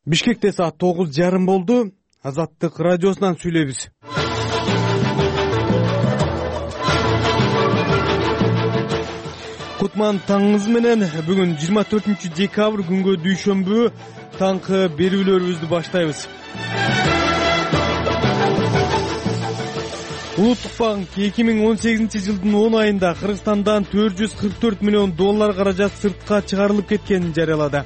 Бишкекте саат 9:30 болду. Азаттык радиосунан сүйлөйбүз. Кутман таңыңыз менен. Бүгүн 24 декабрь күнгө дүйшөмбү таңкы берүүлөрүбүздү баштайбыз. Улуттук банк 2018 жылдын 10 айында Кыргызстандан $444 миллион каражат сыртка чыгарылып кеткенин жарыялады.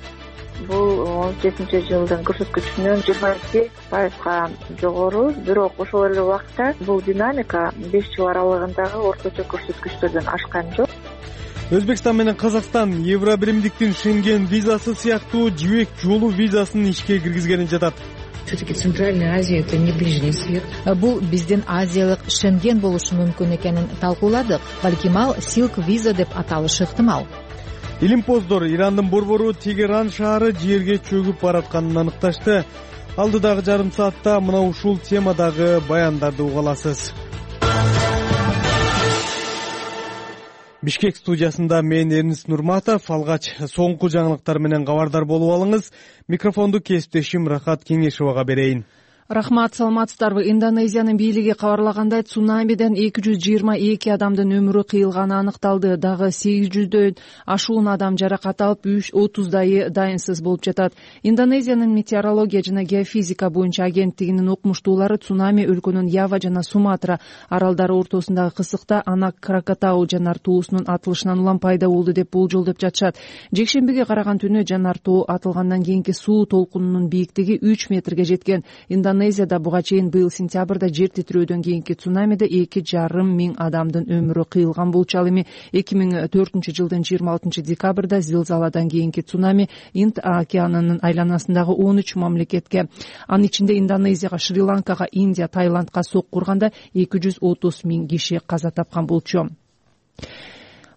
Бул 17 жылдын көрсөткүчүнөн 22%га жогору, бирок ошол эле убакытта бул динамика 5 жыл аралыгындагы орточо көрсөткүчтөрдөн ашкан жок. Өзбекстан менен Казакстан Евробиримдиктин Шенген визасы сыяктуу жибек жолу визасын ишке киргизгени жатат. Все-таки Центральная Азия — это не Ближний Свет. Бул биздин азиялык Шенген болушу мүмкүн экенин талкууладык. Балким ал Silk Visa деп аталышы ыктымал. Илимпоздор Ирандын борбору Тегеран шаары жерге чөгүп баратканын аныкташты. Алдыдагы жарым саатта мына ушул темадагы баяндарды уга аласыз. Бишкек студиясында мен Эрнис Нурматов. Алгач соңку жаңылыктар менен кабардар болуп алыңыз. Микрофонду кесиптешим Рахат Кеңешовага берейин. Рахмат, саламатсыздарбы. Индонезиянын бийлиги кабарлагандай, цунамиден 222 адамдын өмүрү кыйылганы аныкталды. Дагы 800дөн ашуун адам жаракат алып, 30дайы дайынсыз болуп жатат. Индонезиянын метеорология жана геофизика боюнча агенттигинин окумуштуулары цунами өлкөнүн Ява жана Суматра аралдары ортосундагы кысыкта Анак Кракатау жанар тоосунун атылышынан улам пайда болду деп болжолдоп жатышат. Жекшембиге караган түнү жанар тоо атылгандан кийинки суу толкунунун бийиктиги 3 метрге жеткен. Индонезияда буга чейин быйыл сентябрда жер титирөөдөн кийинки цунамиде 2,5 миң адамдын өмүрү кыйылган болчу. Ал эми 2004 жылдын 26 декабрда зилзаладан кийинки цунами Инд океанынын айланасындагы 13 мамлекетке, анын ичинде Индонезияга, Шри-Ланкага, Индия, Таиландка соккурганда 230 миң киши каза тапкан болчу.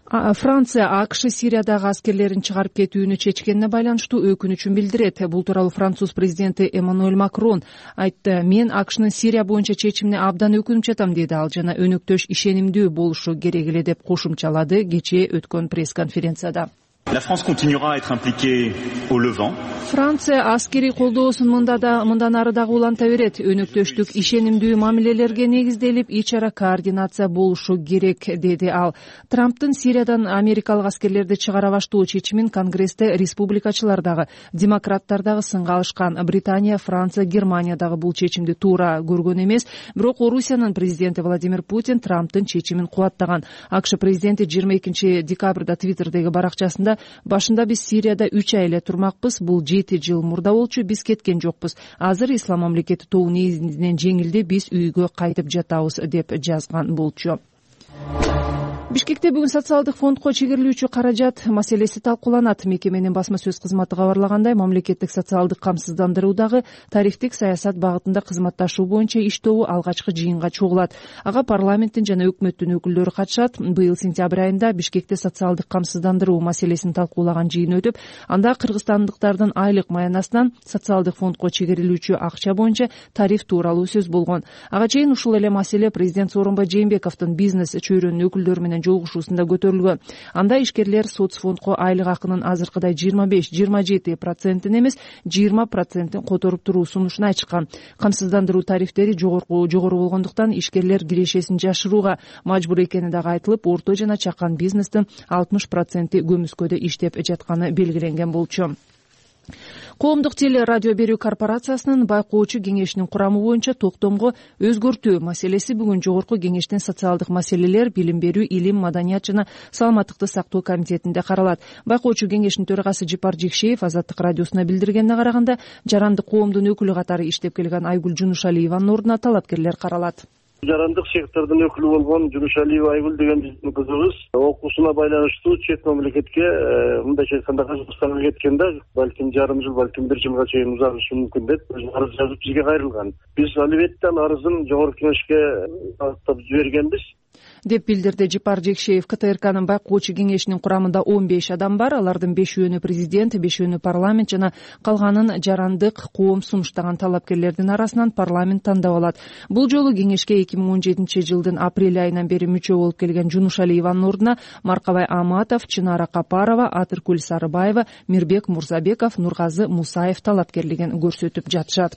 Франция АКШ Сириядагы аскерлерин чыгарып кетүүнү чечкенине байланыштуу өкүнүчүн билдирет. Бул тууралуу Француз президенти Эммануэль Макрон айтты. Мен АКШнын Сирия боюнча чечимине абдан өкүнүп жатам, деди ал, жана өнөктөш ишенимдүү болушу керек эле деп кошумчалады кечээ өткөн пресс-конференцияда. La France continuera à être impliquée au Levant. Франция аскери колдоосун мындан ары дагы уланта берет. Өнөктөштүк ишенимдүү мамилелерге негизделип, ич ара координация болушу керек, деди ал. Трамптын Сириядан америкалык аскерлерди чыгара баштоо чечимин Конгрессте республикачылар дагы, демократтар дагы сынга алышкан. Британия, Франция, Германия дагы бул чечимди туура көргөн эмес. Бирок Орусиянын президенти Владимир Путин Трамптын чечимин кубаттаган. АКШ президенти 22 декабрда Твиттердеги баракчасында: башында биз Сирияда 3 ай эле турмакпыз, бул 7 жыл мурда болчу, биз кеткен жокпуз. Азыр ислам мамлекети тобу негизинен жеңилди, биз үйгө кайтып жатабыз, деп жазган болчу. Бишкекте бүгүн социалдык фондко чегерилүүчү каражат маселеси талкууланат. Мекеменин басма сөз кызматы кабарлагандай, мамлекеттик социалдык камсыздандыруудагы тарифтик саясат багытында кызматташуу боюнча иштөө алгачкы жыйынга чогулат. Ага парламенттин жана өкмөттүн өкүлдөрү катышат. Быйыл сентябрь айында Бишкекте социалдык камсыздандыруу маселесин талкуулаган жыйын өтүп, анда кыргызстандыктардын айлык маянасынан социалдык фондко чегерилүүчү акча боюнча тариф тууралуу сөз болгон. Ага чейин ушул эле маселе президент Сооронбай Жээнбековдун бизнес чөйрөнүн өкүлдөрү менен жолугушуусунда көтөрүлгөн. Анда ишкерлер соцфондко айлык акынын азыркыдай 25-27% эмес 20% которуп туруу сунушун айтышкан. Камсыздандыруу тарифтери жогору болгондуктан ишкерлер кирешесин жашырууга мажбур экени дагы айтылып, орто жана чакан бизнестин 60% көмүскөдө иштеп жатканы белгиленген болчу. Коомдук теле радио берүү корпорациясынын байкоочу кеңешинин курамы боюнча токтомго өзгөртүү маселеси бүгүн жогорку кеңештин социалдык маселелер, билим берүү, илим, маданият жана саламаттыкты сактоо комитетинде каралат. Байкоочу кеңештин төрагасы Жипар Жекшеев Азаттык радиосуна билдиргенине караганда, жарандык коомдун өкүлү катары иштеп келген Айгүл Жунушалиеванын ордуна талапкерлер каралат. Жарандык сектордун өкүлү болгон Жунушалиева Айгүл деген биздин кызыбыз окуусуна байланыштуу чет мамлекетке, мындайча айтканда Казакстанга кеткен да, балким жарым жыл, балким 1 жылга чейин узагышы мүмкүн деп арыз жазып бизге кайрылган. Биз албетте арызын жогорку кеңешке багыттап жибергенбиз. деп билдирди Жипар Жекшеев. КТРКнын байкоочу кеңешинин курамында 15 адам бар. Алардын 5-өөнү президент, 5-өөнү парламент жана калганын жарандык коом сунуштаган талапкерлердин арасынан парламент тандап алат. Бул жолу кеңешке 2017 жылдын апрель айынан бери мүчө болуп келген Жунушалиеванын ордуна Маркабай Аматов, Чынара Капарова, Атыркүл Сарыбаева, Мирбек Мурзабеков, Нургазы Мусаев талапкерлигин көрсөтүп жатышат.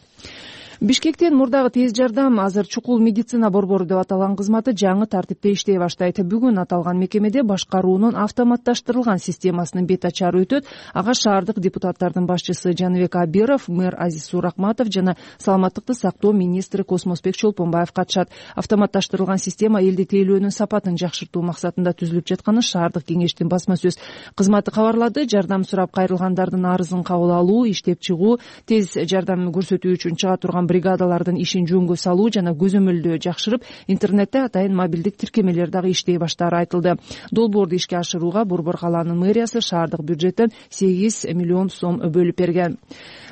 Бишкектен мурдагы тез жардам, азыр чукул медицина борбору деп аталган кызматы жаңы тартипте иштей баштайт. Бүгүн аталган мекемеде башкаруунун автоматташтырылган системасынын бет ачары өтөт. Ага шаардык депутаттардын башчысы Жаныбек Абиров, мэр Азиз Суракматов жана саламаттыкты сактоо министри Космосбек Чолпонбаев катышат. Автоматташтырылган система элди тейлөөнүн сапатын жакшыртуу максатында түзүлүп жатканын шаардык кеңештин басма сөз кызматы кабарлады. Жардам сурап кайрылгандардын арызын кабыл алуу, иштеп чыгуу, тез жардам көрсөтүү үчүн чыга турган бригадалардын ишин жөнгө салуу жана көзөмөлдөө жакшырып, интернетте атайын мобилдик тиркемелер дагы иштей баштаары айтылды. Долбоорду ишке ашырууга Борбор калаанын мэриясы шаардык бюджеттен 8 миллион сом бөлүп берген.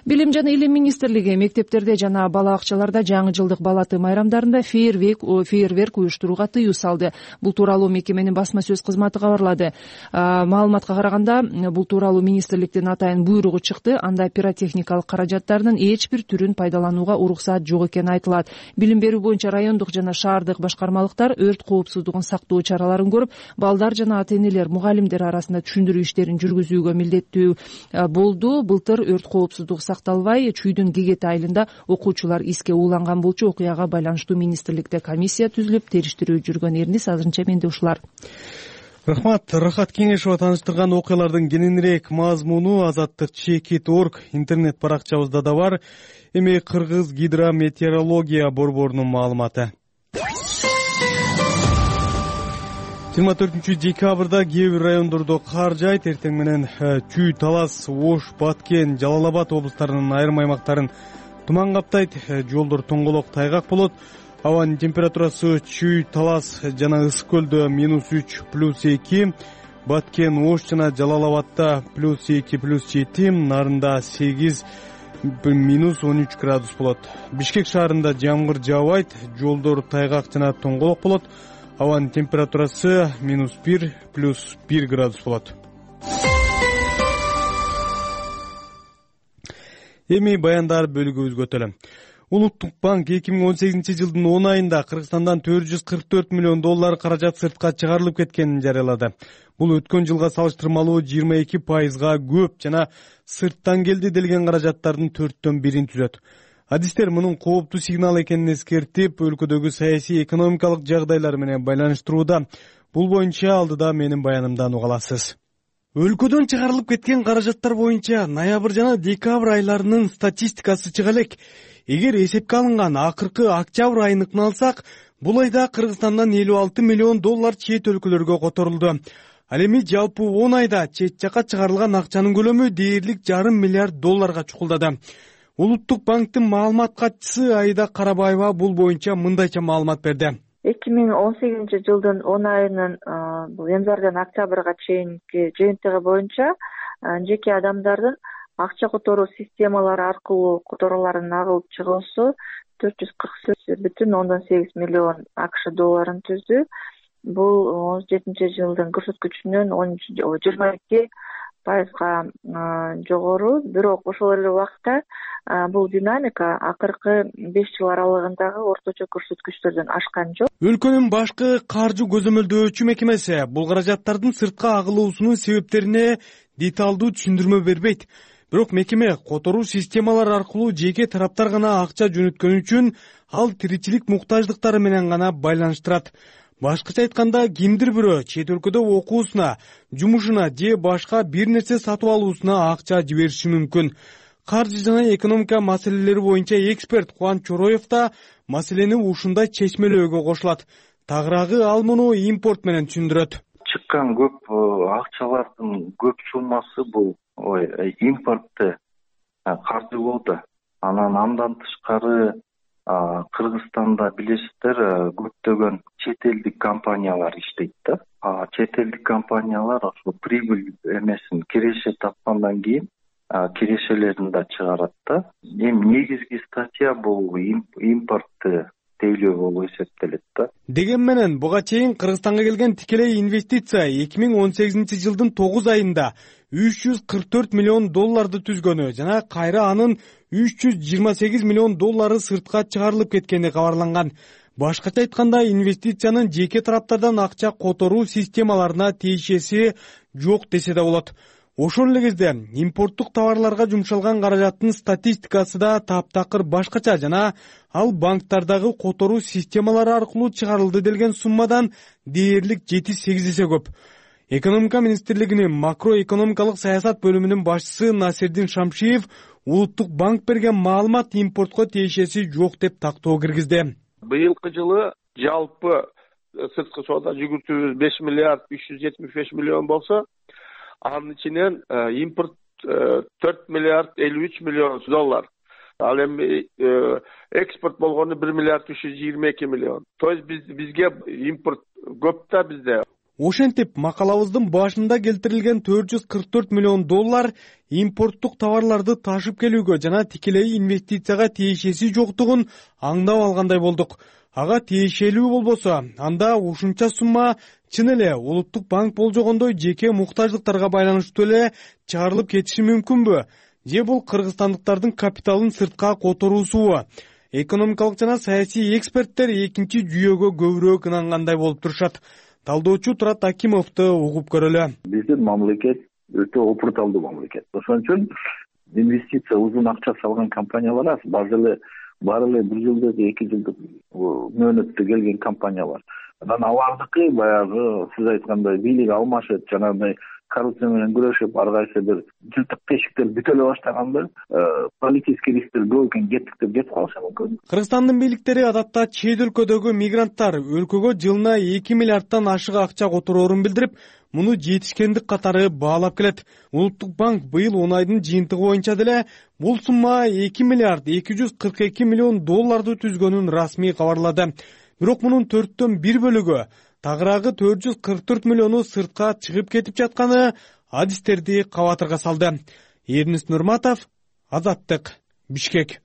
Билим жана илим министрлиги мектептерде жана бала бакчаларда жаңы жылдык бала тыйым айрамдарында фейерверк уюштурууга тыюу салды. Бул тууралуу мекеменин басма сөз кызматы кабарлады. Маалыматка караганда, бул тууралуу министрликтин атайын буйругу чыкты. Анда пиротехникалык каражаттардын эч бир түрүн пайдаланууга уруксат жок экени айтылат. Билим берүү боюнча райондук жана шаардык башкармалыктар өрт коопсуздугун сактоо чараларын көрүп, балдар жана ата-энелер, мугалимдер арасында түшүндүрүү иштерин жүргүзүүгө милдеттүү болду. Былтыр өрт коопсуздугу сакталбай, Чүйдүн Гегети айылында окуучулар иске ууланган болчу. Окуяга байланыштуу министрликте комиссия түзүлүп, териштирүү жүргөн. Эрнис азырынча менде ушулар. Рахмат. Рахат Кеңешова тааныштырган окуялардын кененирээк мазмуну Азаттык.org интернет баракчабызда да бар. Эми Кыргыз гидрометеорология борборунун маалыматы. 24 декабрда кээ бир райондордо кар жаайт. Эртең менен Чүй, Талас, Ош, Баткен, Жалал Абад облустарынын айрым аймактарын туман каптайт. Жолдор тоңголок, тайгак болот. Абанын температурасы Чүй, Талас жана Ысык көлдө -3, +2, Баткен, Ош жана Жалал Абадта +2, +7, Нарында 8, -13 градус болот. Бишкек шаарында жамгыр жаабайт, жолдор тайгак жана тоңголок болот. Абанын температурасы -1, +1 градус болот. Эми баяндар бөлүгүбүзгө өтөлү. Улуттук банк 2018 жылдын 10 айында Кыргызстандан $444 миллион каражат сыртка чыгарылып кеткенин жарыялады. Бул өткөн жылга салыштырмалуу 22%га көп жана сырттан келди делген каражаттардын 1/4 түзөт. Адистер мунун кооптуу сигнал экенин эскертип, өлкөдөгү саясий экономикалык жагдайлар менен байланыштырууда. Бул боюнча алдыда менин баянымдан уга аласыз. Өлкөдөн чыгарылып кеткен каражаттар боюнча ноябрь жана декабрь айларынын статистикасы чыга элек. Эгер эсепке алынган акыркы октябрь айыныкын алсак, бул айда Кыргызстандан $56 миллион чет өлкөлөргө которулду. Ал эми жалпы 10 айда чет жакка чыгарылган акчанын көлөмү дээрлик $0,5 миллиард чукулдады. Улуттук банктын маалымат катчысы Айда Карабаева бул боюнча мындайча маалымат берди. 2018 жылдын 10 айынын бул январдан октябрга чейинки жыйынтыгы боюнча жеке адамдардын акча которуу системалары аркылуу которууларын агылып чыгуусу $448,8 миллион акш долларын түздү. Бул 17 жылдын көрсөткүчүнөн 22%га жогору. Бирок ошол эле убакта бул динамика акыркы 5 жыл аралыгындагы орточо көрсөткүчтөрдөн ашкан жок. Өлкөнүн башкы каржы көзөмөлдөөчү мекемеси бул каражаттардын сыртка агылуусунун себептерине деталдуу түшүндүрмө бербейт. Бирок мекеме которуу системалары аркылуу жеке тараптар гана акча жөнөткөн үчүн ал тиричилик муктаждыктары менен гана байланыштырат. Башкача айтканда, кимдир бирөө чет өлкөдө окуусуна, жумушуна же башка бир нерсе сатып алуусуна акча жибериши мүмкүн. Каржы жана экономика маселелери боюнча эксперт Кубан Чороев да маселени ушундай чечмелөөгө кошулат. Тагыраагы ал муну импорт менен түшүндүрөт. Чыккан көп акчалардын көп суммасы бул импортто каржы болду. Андан тышкары Кыргызстанда билесиздер көптөгөн чет элдик компаниялар иштейт да. Чет элдик компаниялар ошо прибыль эмесин киреше тапкандан кийин кирешелерин да чыгарат да. Эми негизги статья бул импортты тейлөө болуп эсептелет да. Деген менен буга чейин Кыргызстанга келген тикелей инвестиция 2018 жылдын 9 айында 344 миллион долларды түзгөнү жана кайра анын 328 миллион доллары сыртка чыгарылып кеткени кабарланган. Башкача айтканда, инвестициянын жеке тараптардан акча которуу системаларына тиешеси жок десе да болот. Ошол эле кезде импорттук товарларга жумшалган каражаттын статистикасы да таптакыр башкача жана ал банктардагы которуу системалары аркылуу чыгарылды делген суммадан дээрлик 7-8 эсе көп. Экономика министрлигинин макроэкономикалык саясат бөлүмүнүн башчысы Насирдин Шамшиев Улуттук банк берген маалымат импортко тиешеси жок деп тактоо киргизди. Быйылкы жылы жалпы сырткы соода жүгүртүүбүз 5 миллиард 375 миллион болсо, анын ичинен импорт 4 миллиард 53 миллион доллар. Ал эми экспорт болгону 1 миллиард 322 миллион. То есть бизге импорт көп да бизде. Ошентип, макалабыздын башында келтирилген 444 миллион доллар импорттук товарларды ташып келүүгө жана тикелей инвестицияга тиешеси жоктугун аңдап алгандай болдук. Ага тиешелүү болбосо, анда ушунча сумма чын эле Улуттук банк болжогондой жеке муктаждыктарга байланыштуу эле чыгарылып кетиши мүмкүнбү? Же бул кыргызстандыктардын капиталын сыртка которуусубу? Экономикалык жана саясий эксперттер экинчи жүйөгө көбүрөөк ынангандай болуп турушат. Талдоочу Турат Акимовду угуп көрөлү. Биздин мамлекет өтө опурталдуу мамлекет. Ошон үчүн инвестиция узун акча салган компаниялар аз. Баары эле 1 жылдык, 2 жылдык мөөнөттө келген компаниялар. Анан алардыкы баягы сиз айткандай бийлик алмашып, жанагындай коррупция менен күрөшүп, ар кайсы бир жылтык тешиктер бүтө эле баштаганда политический рисктер көп экен, кеттик деп жетип калышы мүмкүн. Кыргызстандын бийликтери адатта чет өлкөдөгү мигранттар өлкөгө жылына 2 миллиардтан ашык акча котороорун билдирип, муну жетишкендик катары баалап келет. Улуттук банк быйыл 10 айдын жыйынтыгы боюнча деле бул сумма 2 миллиард 242 миллион долларды түзгөнүн расмий кабарлады. Бирок мунун 4төн 1 бөлүгү, тагыраагы 444 миллиону сыртка чыгып кетип жатканы адистерди кабатырга салды. Эрнис Нурматов, Азаттык, Бишкек.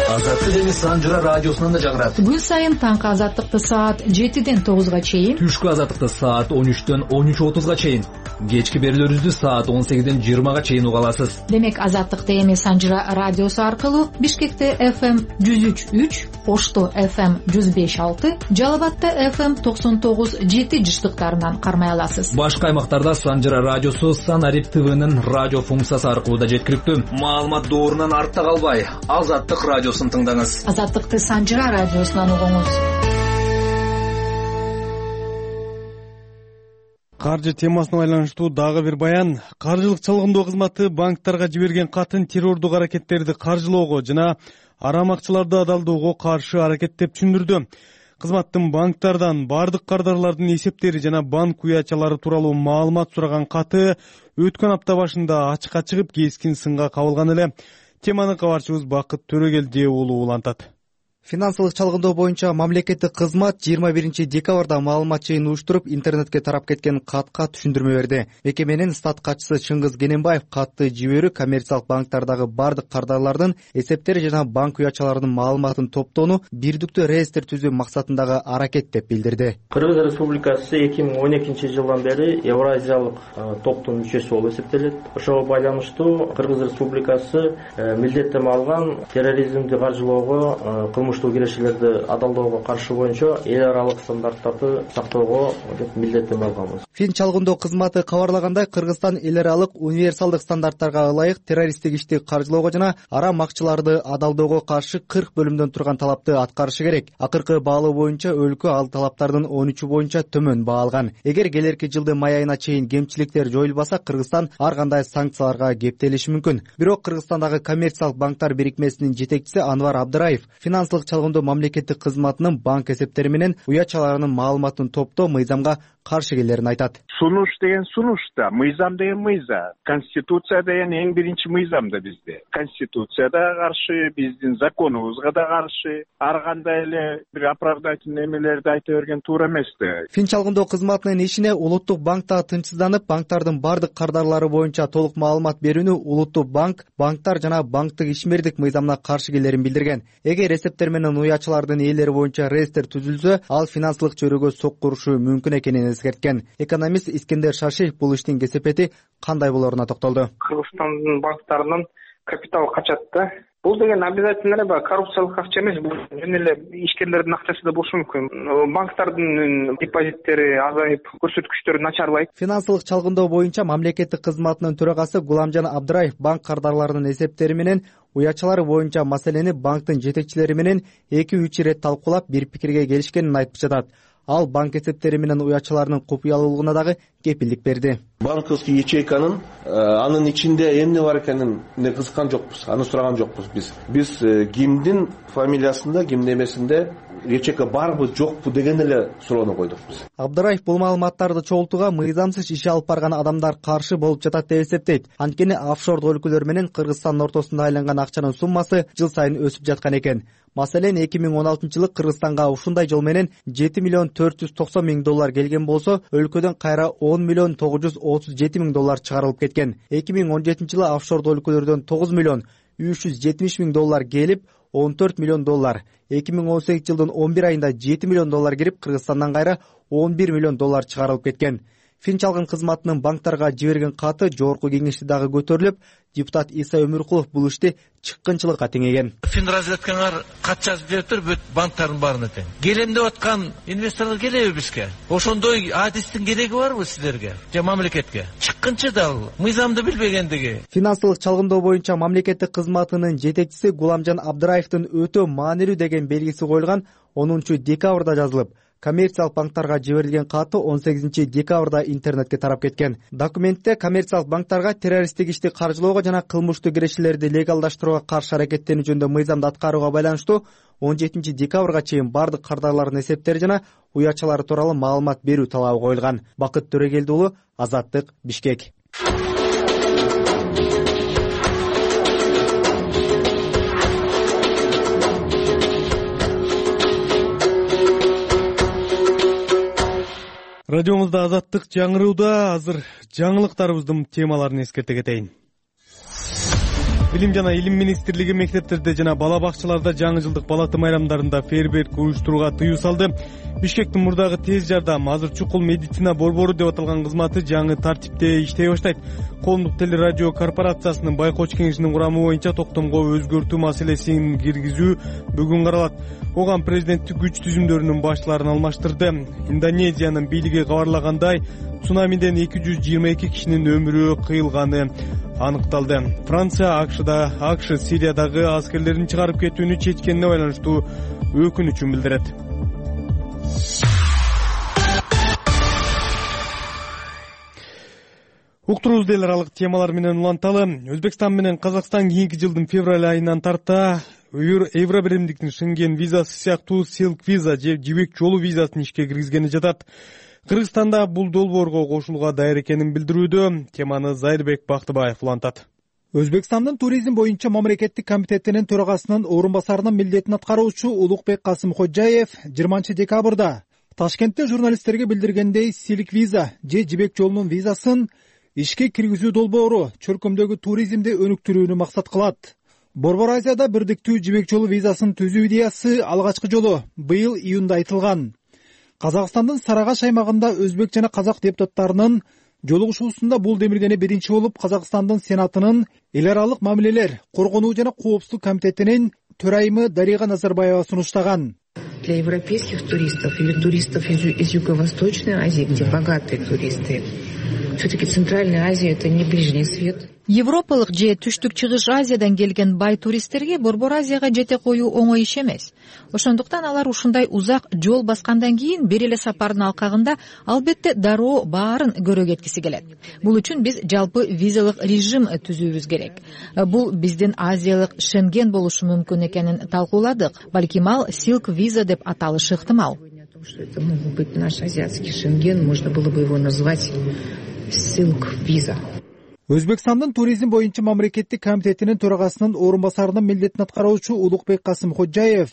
Азаттык эми Санжыра радиосунан да жагырат. Күн сайын таңкы азаттыкты саат 7ден 9га чейин, түшкү азаттыкты саат 13дөн 13:30га чейин, кечки берүүлөрүбүздү саат 18ден 20га чейин уга аласыз. Демек азаттыкты эми Санжыра радиосу аркылуу Бишкекте FM 103.3, Ошто FM 105.6, Жалал Абадта FM 99.7 жыштыктарынан кармай аласыз. Башка аймактарда Санжыра радиосу Санарип ТВнын радио функциясы аркылуу да жеткиликтүү. Маалымат доорунан артта калбай, Азаттык радиосун тыңдаңыз. Азаттыкты Санжыра радиосунан угуңуз. Каржы темасына байланыштуу дагы бир баян. Каржылык чалгындоо кызматы банктарга жиберген катын террордук аракеттерди каржылоого жана арамакчыларды адалдоого каршы аракет деп түшүндүрдү. Кызматтын банктардан бардык кардарлардын эсептери жана банк уячалары тууралуу маалымат сураган каты өткөн апта башында ачыкка чыгып кескин сынга кабылган эле. Теманы кабарчыбыз Бакыт Төрөгелди уулу улантат. Финансылык чалгындоо боюнча мамлекеттик кызмат 21 декабрда маалымат жыйын уюштуруп, интернетке тарап кеткен катка түшүндүрмө берди. Мекеменин стат катчысы Чыңгыз Кененбаев катты жиберүү коммерциялык банктардагы бардык кардарлардын эсептери жана банк уячаларынын маалыматын топтоону бирдиктүү реестр түзүү максатындагы аракет деп билдирди. Кыргыз Республикасы 2012 жылдан бери Евразиялык топтун мүчөсү болуп эсептелет. Ошого байланыштуу Кыргыз Республикасы милдеттеме алган терроризмди каржылоого, кылмыштуу кирешелерди адалдоого каршы боюнча эл аралык стандарттарды сактоого деп милдеттеме алганбыз. Фин чалгындоо кызматы кабарлагандай, Кыргызстан эл аралык универсалдык стандарттарга ылайык террористтик ишти каржылоого жана арам акчаларды адалдоого каршы 40 бөлүмдөн турган талапты аткарышы керек. Акыркы баалоо боюнча өлкө ал талаптардын 13 боюнча төмөн баалган. Эгер келерки жылдын май айына чейин кемчиликтер жоюлбаса, Кыргызстан ар кандай санкцияларга кептелиши мүмкүн. Бирок Кыргызстандагы коммерциялык банктар бирикмесинин жетекчиси Анвар Абдыраев финансылык чалгындоо мамлекеттик кызматынын банк эсептери менен уячаларынын маалыматын топтоо мыйзамга каршы келерин айтат. Сунуш деген сунуш да, мыйзам деген мыйзам, конституция деген эң биринчи мыйзам да бизде. Конституция да каршы, биздин законубузга да каршы. Ар кандай эле бир оправдательный эмелерди айта берген туура эмес да. Фин чалгындоо кызматынын ишине Улуттук банк да тынчсызданып, банктардын бардык кардарлары боюнча толук маалымат берүүнү Улуттук банк, банктар жана банктык ишмердик мыйзамына каршы келерин билдирген. Эгер эсептер менен уячылардын ээлери боюнча реестр түзүлсө, ал финансылык чөйрөгө соккурушу мүмкүн экенин эскерткен. Экономист Искендер Шашиев бул иштин кесепети кандай болоруна токтолду. Кыргызстандын банктарынын капиталы качат да. Бул деген обязательно эле коррупциялык акча эмес, бул жөн эле ишкерлердин акчасы да болушу мүмкүн. Банктардын депозиттери азайып, көрсөткүчтөрү начарлайт. Финансылык чалгындоо боюнча мамлекеттик кызматынын төрагасы Гуламжан Абдыраев банк кардарларынын эсептери менен уячалары боюнча маселени банктын жетекчилери менен 2-3 ирет талкуулап бир пикирге келишкенин айтып жатат. Ал банк эсептери менен уячаларынын купуялуулугуна дагы кепилдик берди. Банковский ячейканын анын ичинде эмне бар экенин кызыккан жокпуз, аны сураган жокпуз биз. Биз кимдин фамилиясында, кимдин эмесинде ячейка барбы, жокпу деген эле суроону койдук биз. Абдыраев бул маалыматтарды чогултууга мыйзамсыз иш алып барган адамдар каршы болуп жатат деп эсептейт. Анткени офшордук өлкөлөр менен Кыргызстандын ортосунда айланган акчанын суммасы жыл сайын өсүп жаткан экен. Маселен 2016-жылы Кыргызстанга ушундай жол менен 7 миллион 490 миң доллар келген болсо, өлкөдөн кайра 10 миллион 937 миң доллар чыгарылып кеткен. 2017-жылы офшордук өлкөлөрдөн 9 миллион 370 миң доллар келип, 14 миллион доллар. 2018-жылдын 11 айында 7 миллион доллар кирип, Кыргызстандан кайра 11 миллион доллар чыгарылып кеткен. Фин чалгын кызматынын банктарга жиберген каты жогорку кеңеште дагы көтөрүлүп, депутат Иса Өмүркулов бул ишти чыккынчылыкка теңеген. Фин разведкаңар кат жазып бериптир бүт банктардын баарына тең. Келем деп аткан инвесторлор келеби бизге? Ошондой адистин кереги барбы силерге же мамлекетке? Чыккынчы дал мыйзамды билбегендиги. Финансылык чалгындоо боюнча мамлекеттик кызматынын жетекчиси Гуламжан Абдыраевдин өтө маанилүү деген белгиси коюлган 10-декабрда жазылып, коммерциялык банктарга жиберилген каты 18-декабрда интернетке тарап кеткен. Документте коммерциялык банктарга террористтик ишти каржылоого жана кылмыштуу кирешелерди легалдаштырууга каршы аракеттенүү жөнүндө мыйзамды аткарууга байланыштуу 17-декабрга чейин бардык кардарлардын эсептери жана уячалары тууралуу маалымат берүү талабы коюлган. Бакыт Төрөгелди уулу, Азаттык, Бишкек. Радиомузда Азаттык жаңырууда. Азыр жаңылыктарыбыздын темаларын эскерте кетейин. Билим жана Илим министрлиги мектептерде жана бала бакчаларда жаңы жылдык бала майрамдарында фейерверк уюштурууга тыюу салды. Бишкектин мурдагы тез жардам, азыр чукул медицина борбору деп аталган кызматы жаңы тартипте иштей баштайт. Коомдук телерадио корпорациясынын байкоочу кеңешинин курамы боюнча токтомго өзгөртүү маселесин киргизүү бүгүн каралат. Оган президенттик күч түзүмдөрүнүн башчыларын алмаштырды. Индонезиянын бийлиги кабарлагандай, цунамиден 222 кишинин өмүрү кыйылганы аныкталды. Франция АКШ Сириядагы аскерлерин чыгарып кетүүнү чечкенине байланыштуу өкүнүчүн билдирет. Уктуруубузду эл аралык темалар менен уланталы. Өзбекстан менен Казакстан кийинки жылдын февраль айынан тарта Евро биримдиктин Шенген визасы сыяктуу Silk виза же жибек жолу визасын ишке киргизгени жатат. Кыргызстанда бул долбоорго кошулууга даяр экенин билдирүүдө. Теманы Зайырбек Бактыбаев улантат. Өзбекстандын туризм боюнча мамлекеттик комитетинин төрагасынын орун басарынын милдетин аткаруучу Улукбек Касымходжаев 20-декабрда Ташкентте журналисттерге билдиргендей, Silk виза же жибек жолунун визасын ишке киргизүү долбоору чөлкөмдөгү туризмди өнүктүрүүнү максат кылат. Борбор Азияда бирдиктүү жибек жолу визасын түзүү идеясы алгачкы жолу быйыл июнда айтылган. Казакстандын Сарыагаш аймагында өзбек жана казак депутаттарынын жолугушуусунда бул демилгени биринчи болуп Казакстандын Сенатынын эл аралык мамилелер, коргонуу жана коопсуздук комитетинин төрайымы Дарига Назарбаева сунуштаган. Для европейских туристов или туристов из Юго-Восточной Азии, где богатые туристы, все-таки Центральная Азия — это не Ближний Свет. Европалык же түштүк чыгыш Азиядан келген бай туристтерге Борбор Азияга жете коюу оңой иш эмес. Ошондуктан алар ушундай узак жол баскандан кийин бир эле сапардын алкагында албетте дароо баарын көрө кеткиси келет. Бул үчүн биз жалпы визалык режим түзүүбүз керек. Бул биздин Азиялык Шенген болушу мүмкүн экенин талкууладык. Балким ал Silk виза деп аталышы ыктымал. что это мог быть наш азиатский Шенген, можно было бы его назвать Silk Visa. Өзбекстандын туризм боюнча мамлекеттик комитетинин төрагасынын орун басарынын милдетин аткаруучу Улукбек Касымходжаев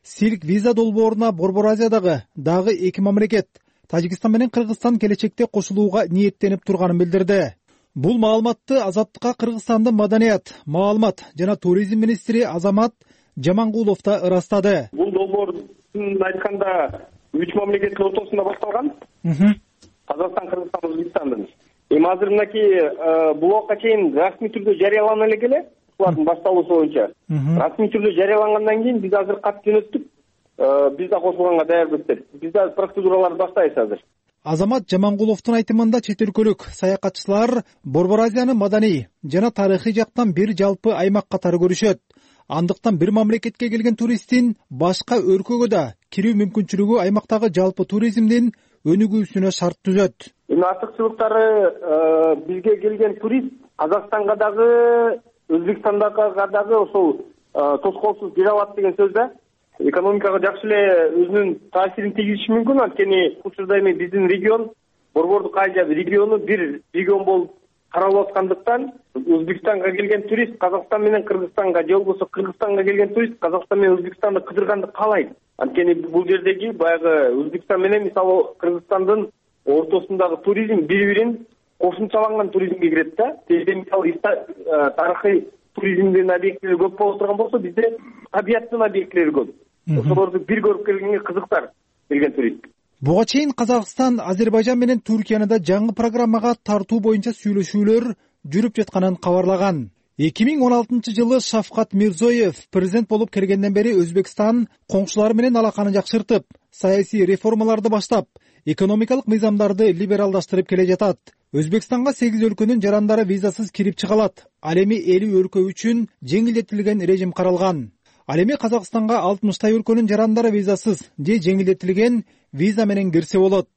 Silk Visa долбооруна Борбор Азиядагы дагы эки мамлекет Тажикстан менен Кыргызстан келечекте кошулууга ниеттенип турганын билдирди. Бул маалыматты Азаттыкка Кыргызстандын маданият, маалымат жана туризм министри Азамат Жамангулов да ырастады. Бул долбоор айтканда 3 мамлекеттин ортосунда башталган. Казакстан, Кыргызстан, Өзбекстандын. Эми азыр мынакей бул убакка чейин расмий түрдө жарыялана эле, булардын башталуусу боюнча. Расмий түрдө жарыялангандан кийин биз азыр кат жөнөттүк. Биз да кошулганга даярбыздар. Биз да процедураларды баштайбыз азыр. Азамат Жамангуловдун айтымында чет өлкөлүк саякатчылар Борбор Азиянын маданий жана тарыхый жактан бир жалпы аймак катары көрүшөт. Андыктан бир мамлекетке келген туристтин башка өлкөгө да кирүү мүмкүнчүлүгү аймактагы жалпы туризмдин өнүгүүсүнө шарт түзөт. Эми артыкчылыктары бизге келген турист Казакстанга дагы, Өзбекстандага дагы ошол тоскоолсуз кире алат деген сөз да. Экономикага жакшы эле өзүнүн таасирин тийгизиши мүмкүн. Анткени учурда эми биздин регион, Борбордук Азия региону бир регион болуп каралып аткандыктан Өзбекстанга келген турист Казакстан менен Кыргызстанга же болбосо Кыргызстанга келген турист Казакстан менен Өзбекстанды кыдырганды каалайт. Анткени бул жердеги баягы Өзбекстан менен мисалы Кыргызстандын ортосундагы туризм бири-бирин кошумчаланган туризмге кирет да. Мисалы тарыхый туризмдин объектилери көп боло турган болсо, бизде табияттын объектилери көп. Ошолорду бир көрүп келгенге кызыктар келген турист. Буга чейин Казакстан, Азербайжан менен Түркияны да жаңы программага тартуу боюнча сүйлөшүүлөр жүрүп жатканын кабарлаган. 2016-жылы Шавкат Мирзоев президент болуп келгенден бери Өзбекстан коңшулары менен алаканы жакшыртып, саясий реформаларды баштап, экономикалык мыйзамдарды либералдаштырып келе жатат. Өзбекстанга 8 өлкөнүн жарандары визасыз кирип чыга алат. Ал эми 50 өлкө үчүн жеңилдетилген режим каралган. Ал эми Казакстанга 60 өлкөнүн жарандары визасыз же жеңилдетилген виза менен кирсе болот.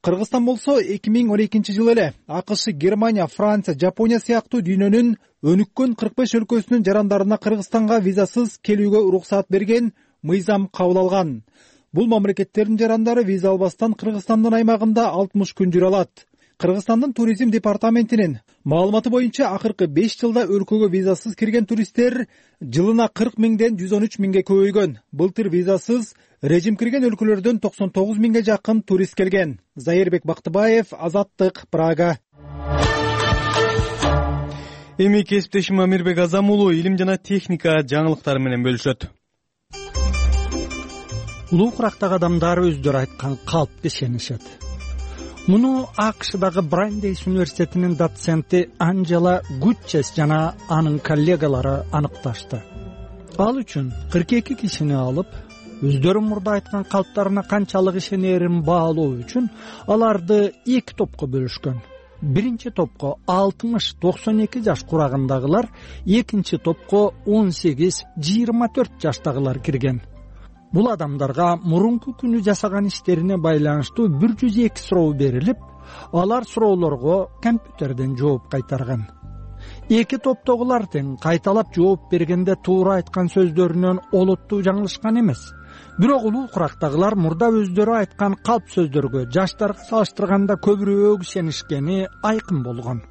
Кыргызстан болсо 2012-жылы эле АКШ, Германия, Франция, Жапония сыяктуу дүйнөнүн өнүккөн 45 өлкөсүнүн жарандарына Кыргызстанга визасыз келүүгө уруксаат берген мыйзам кабыл алган. Бул мамлекеттердин жарандары виза албастан Кыргызстандын аймагында 60 күн жүрө алат. Кыргызстандын туризм департаментинин маалыматы боюнча акыркы 5 жылда өлкөгө визасыз кирген туристтер жылына 40 миңден 113 миңге көбөйгөн. Былтыр визасыз режим кирген өлкөлөрдөн 99 миңге жакын турист келген. Зайырбек Бактыбаев, Азаттык, Прага. Эми кесиптешим Амирбек Азамулу илим жана техника жаңылыктары менен бөлүшөт. Улуу курактагы адамдар өздөрү айткан калпты ишенишет. Муну АКШдагы Брандейс университетинин доценти Анджела Гутчес жана анын коллегалары аныкташты. Ал үчүн 42 кишини алып, өздөрү мурда айткан калптарына канчалык ишенерин баалоо үчүн аларды 2 топко бөлүшкөн. Биринчи топко 60-92 жаш курагындагылар, экинчи топко 18-24 жаштагылар кирген. Бул адамдарга мурунку күнү жасаган иштерине байланыштуу 102 суроо берилип, алар суроолорго компьютерден жооп кайтарган. Эки топтогулар тең кайталап жооп бергенде туура айткан сөздөрүнөн олуттуу жаңылышкан эмес. Бирок улуу курактагылар мурда өздөрү айткан калп сөздөргө жаштарга салыштырганда көбүрөөк ишенишкени айкын болгон.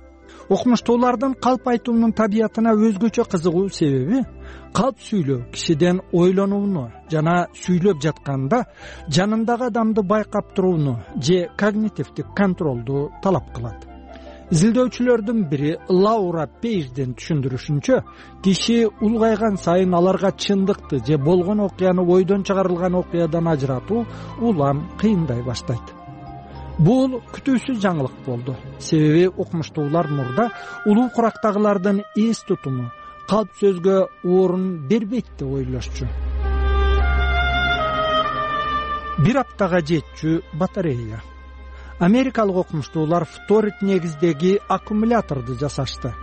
Окумуштуулардын калп айтуунун табиятына өзгөчө кызыгуу себеби калп сүйлөө кишиден ойлонууну жана сүйлөп жатканда жанындагы адамды байкап турууну же когнитивдик контролду талап кылат. Изилдөөчүлөрдүн бири Лаура Пейжден түшүндүрүшүнчө, киши улгайган сайын аларга чындыкты же болгон окуяны ойдон чыгарылган окуядан ажыратуу улам кыйындай баштайт. Бул күтүүсүз жаңылык болду. Себеби окумуштуулар мурда улуу курактагылардын эс тутуму калп сөзгө орун бербейт деп ойлошчу. Бир аптага жетчү батарея. Америкалык окумуштуулар фторит негиздеги аккумуляторду жасашты.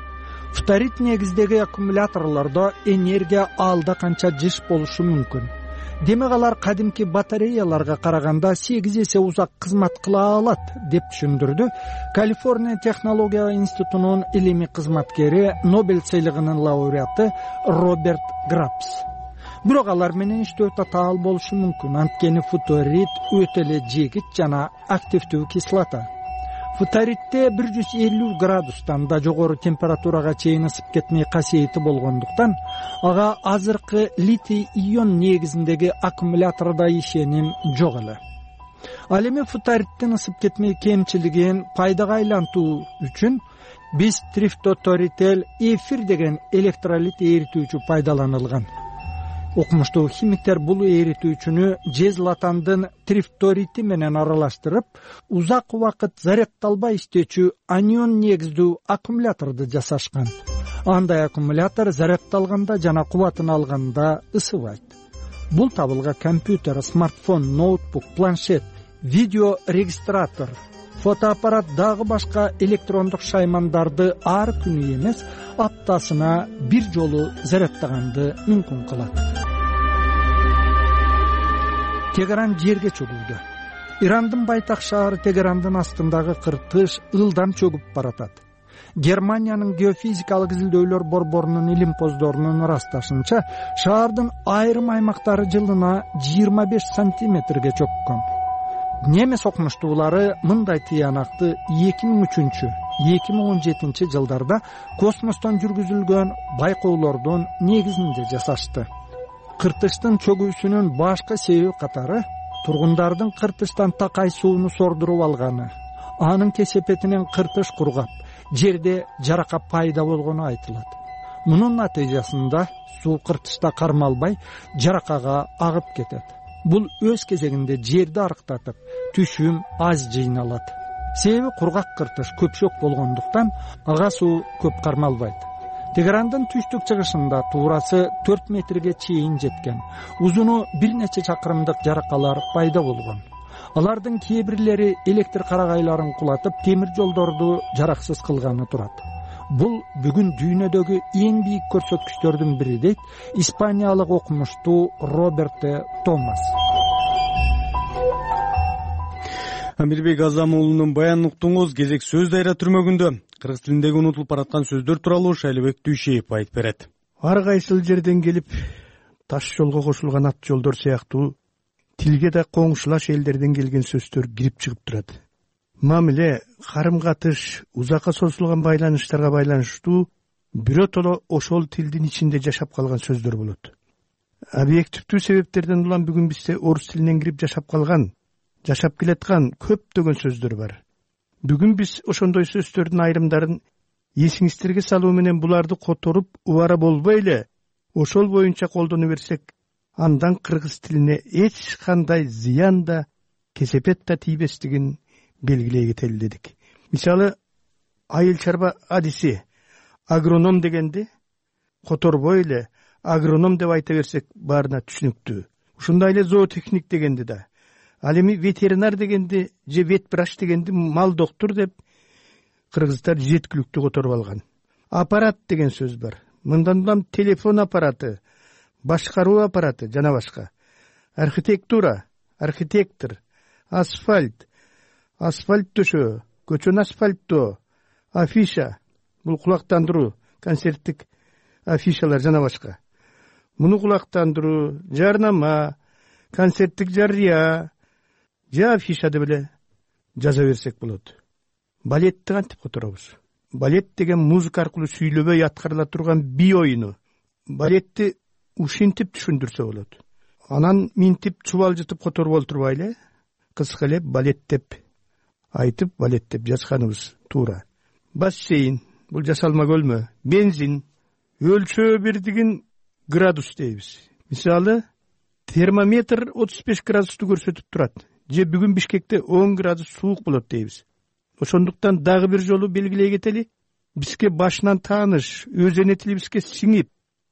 Фторит негиздеги аккумуляторлордо энергия алда канча жыш болушу мүмкүн. Демек алар кадимки батареяларга караганда 8 эсе узак кызмат кыла алат деп түшүндүрдү Калифорния технология институтунун илимий кызматкери, Нобель сыйлыгынын лауреаты Роберт Грапс. бирок алар менен иштөө татаал болушу мүмкүн. Анткени фторид өтө эле жегит жана активдүү кислота. Фторидте 150 градустан да жогору температурага чейин ысып кетмей касиети болгондуктан ага азыркы литий ион негизиндеги аккумулятордо ишеним жок эле. Ал эми фторидтин ысып кетмей кемчилигин пайдага айлантуу үчүн биз трифторител эфир деген электролит эритүүчү пайдаланылган. Окумуштуу химиктер бул эритүүчүнү жезлатандын трифторити менен аралаштырып, узак убакыт зарядталбай иштечү анион негиздүү аккумуляторду жасашкан. Андай аккумулятор зарядталганда жана кубатын алганда ысыбайт. Бул табылга компьютер, смартфон, ноутбук, планшет, видео регистратор, фотоаппарат дагы башка электрондук шаймандарды ар күнү эмес, аптасына бир жолу зарядтаганды мүмкүн кылат. Тегеран жерге чөгүүдө. Ирандын байтак шаары Тегерандын астындагы кыртыш ылдам чөгүп баратат. Германиянын геофизикалык изилдөөлөр борборунун илимпоздорунун ырасташынча, шаардын айрым аймактары жылына 25 сантиметрге чөккөн. Немес окумуштуулары мындай тыянакты 2003-2017 жылдарда космостон жүргүзүлгөн байкоолордун негизинде жасашты. Кыртыштын чөгүүсүнүн башка себеби катары тургундардын кыртыштан такай сууну сордуруп алганы, анын кесепетинен кыртыш кургап, жерде жарака пайда болгону айтылат. Мунун натыйжасында суу кыртышта кармалбай, жаракага агып кетет. Бул өз кезегинде жерди арыктатып, түшүм аз жыйналат. Себеби кургак кыртыш көпшөк болгондуктан ага суу көп кармалбайт. Тегерандын түштүк чыгышында туурасы 4 метрге чейин жеткен, узуну бир нече чакырымдык жаракалар пайда болгон. Алардын кээ бирлери электр карагайларын кулатып, темир жолдорду жараксыз кылганы турат. Бул бүгүн дүйнөдөгү эң бийик көрсөткүчтөрдүн бири дейт испаниялык окумуштуу Роберто Томас. Амирбек Азам уулунун баянын уктуңуз. Кезек сөз дайра түрмөгүндө кыргыз тилиндеги унутулуп бараткан сөздөр тууралуу Шайлыбек Дүйшеев айтып берет. Ар кайсыл жерден келип таш жолго кошулган ат жолдор сыяктуу тилге да коңшулаш элдерден келген сөздөр кирип чыгып турат. Мамиле, карым-катыш, узакка созулган байланыштарга байланыштуу биротоло ошол тилдин ичинде жашап калган сөздөр болот. Объективдүү себептерден улам бүгүн бизде орус тилинен кирип жашап калган, жашап келаткан көптөгөн сөздөр бар. Бүгүн биз ошондой сөздөрдүн айрымдарын эсиңиздерге салуу менен буларды которуп, убара болбой эле ошол боюнча колдоно берсек, андан кыргыз тилине эч кандай зыян да, кесепет да тийбестигин белгилей кетели дедик. Мисалы, айыл чарба адиси агроном дегенди которбой эле агроном деп айта берсек баарына түшүнүктүү. Ушундай эле зоотехник дегенди да, ал эми ветеринар дегенди же ветврач дегенди мал доктур деп кыргыздар жеткиликтүү которуп алган. Аппарат деген сөз бар. Мындан улам телефон аппараты, башкаруу аппараты жана башка. Архитектура, архитектор, асфальт, асфальт төшөө, көчөнү асфальттоо, афиша, бул кулактандыруу, концерттик афишалар жана башка. Муну кулактандыруу, жарнама, концерттик жарыя, же афиша деп эле жаза берсек болот. Балетти кантип которобуз? Балет деген музыка аркылуу сүйлөбөй аткарыла турган бий оюну. Балетти ушинтип түшүндүрсө болот. Анан минтип чубалжытып которуп олтурбайлы, кыска эле балет деп айтып, балет деп жазганыбыз туура. Бассейн, бул жасалма көлмө, бензин, өлчөө бирдигин градус дейбиз. Мисалы, термометр 35 градусту көрсөтүп турат. Же бүгүн Бишкекте 10 градус суук болот дейбиз. Ошондуктан дагы бир жолу белгилей кетели, бизге башынан тааныш, өз эне тилибизге сиңип,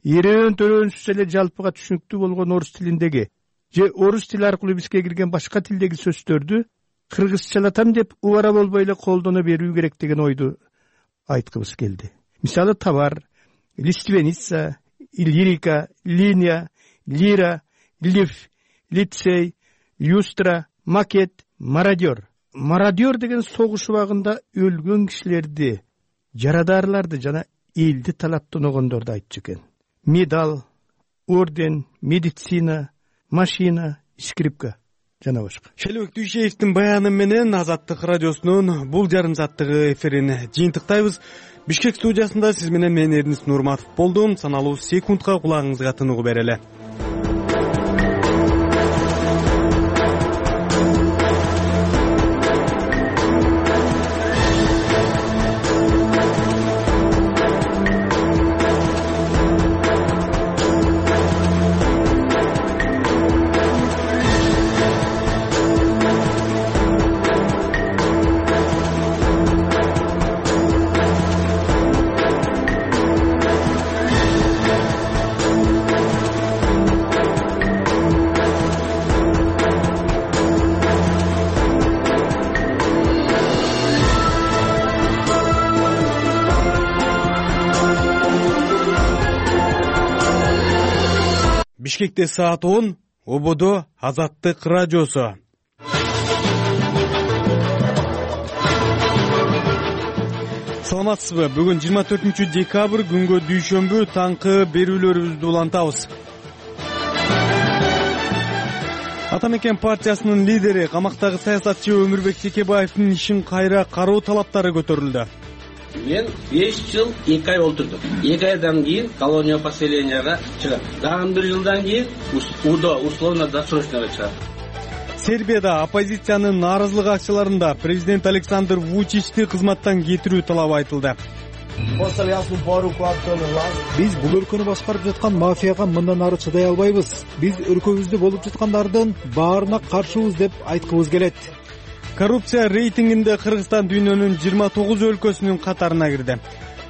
эрен-төрөнсүз эле жалпыга түшүнүктүү болгон орус тилиндеги же орус тили аркылуу бизге кирген башка тилдеги сөздөрдү кыргызчалатам деп убара болбой эле колдоно берүү керек деген ойду айткыбыз келди. Мисалы, товар, лиственница, лирика, линия, лира, лиф, лицей, люстра, макет, мародер. Мародер деген согуш убагында өлгөн кишилерди, жарадарларды жана элди талаптаногондорду айтчу экен. Медал, орден, медицина, машина, скрипка жана башка. Шелбек Дүйшеевдин баяны менен Азаттык радиосунун бул жарым сааттыгы эфирин жыйынтыктайбыз. Бишкек студиясында сиз менен мен Эрнис Нурматов болдум. Саналуу секундка кулагыңызга тыныгуу берели. Бишкекте саат 10, ободо Азаттык радиосу. Саламатсызбы? Бүгүн 24 декабрь күнгө дүйшөмбү таңкы берүүлөрүбүздү улантабыз. Ата мекен партиясынын лидери, камактагы саясатчы Өмүрбек Текебаевдин ишин кайра кароо талаптары көтөрүлдү. Мен 5 жыл 2 ай отурдум. 2 айдан кийин колония поселенияга чыгам. Дагы 1 жылдан кийин УДО условно-досрочныйга чыгам. Сербияда оппозициянын нааразылык акцияларында президент Александр Вучичти кызматтан кетирүү талабы айтылды. Биз бул өлкөнү башкарып жаткан мафияга мындан ары чыдай албайбыз. Биз өлкөбүздө болуп жаткандардын баарына каршыбыз деп айткыбыз келет. Коррупция рейтингинде Кыргызстан дүйнөнүн 29 өлкөсүнүн катарына кирди.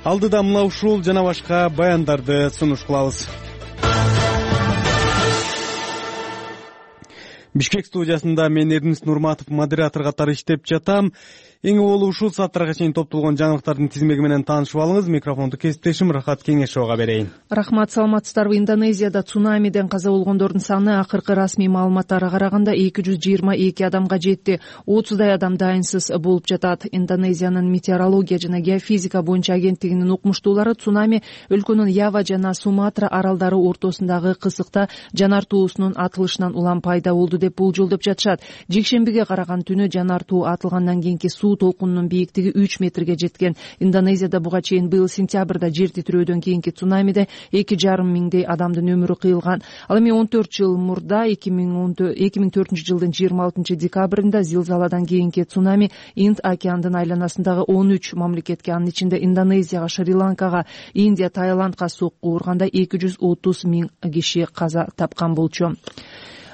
Алдыда мына ушул жана башка баяндарды сунуш кылабыз. Бишкек студиясында мен Эрнис Нурматов модератор катары иштеп жатам. Эң болуу ушул сааттарга чейин топтолгон жаңылыктардын тизмеги менен таанышып алыңыз. Микрофонду кесиптешим Рахат Кеңешовго берейин. Рахмат, саламатсыздарбы? Индонезияда цунамиден каза болгондордун саны акыркы расмий маалыматтарга караганда 222 адамга жетти. 30дай адам дайынсыз болуп жатат. Индонезиянын метеорология жана геофизика боюнча агенттигинин укмуштуулары цунами өлкөнүн Ява жана Суматра аралдары ортосундагы кысыкта жанар туусунун атылышынан улам пайда болду деп болжолдоп жатышат. Жекшембиге караган түнү жанар туу атылгандан кийинки суу толкунунун бийиктиги 3 метрге жеткен. Индонезияда буга чейин быйыл сентябрда жер титирөөдөн кийинки цунамиде 2,5 миңдей адамдын өмүрү кыйылган. Ал эми 14 жыл мурда 2004 жылдын 26 декабрында зилзаладан кийинки цунами Инд океандын айланасындагы 13 мамлекетке, анын ичинде Индонезияга, Шри-Ланкага, Индия, Таиландга сокку урганда 230 миң киши каза тапкан болчу.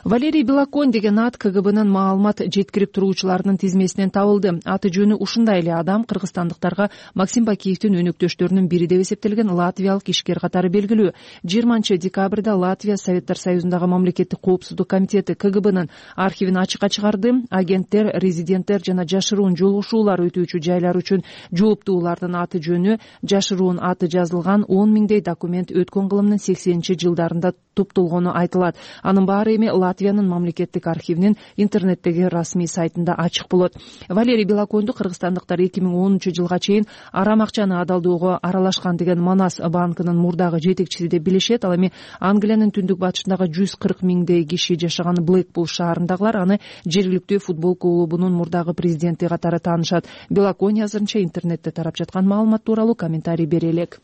Валерий Белоконь деген ат КГБнын маалымат жеткирип туруучуларынын тизмесинен табылды. Аты жөнү ушундай эле адам кыргызстандыктарга Максим Бакиевдин өнөктөштөрүнүн бири деп эсептелген латвиялык ишкер катары белгилүү. 20 декабрда Латвия Советтер Союзундагы мамлекеттик коопсуздук комитети КГБнын архивин ачыкка чыгарды. Агенттер, резиденттер жана жашыруун жолугушуулар өтүүчү жайлар үчүн жооптуулардын аты жөнү, жашыруун аты жазылган 10 миңдей документ өткөн кылымдын 80-жылдарында топтолгону айтылат. Анын баары эми Латвиянын мамлекеттик архивинин интернеттеги расмий сайтында ачык болот. Валерий Белоконду кыргызстандыктар 2010 жылга чейин арам акчаны адалдоого аралашкан деген Манас банкынын мурдагы жетекчиси деп билишет. Ал эми Англиянын түндүк батышындагы 140 миңдей киши жашаган Блэкпул шаарындагылар аны жергиликтүү футбол клубунун мурдагы президенти катары таанышат. Белоконь азырынча интернетте тарап жаткан маалымат тууралуу комментарий бере элек.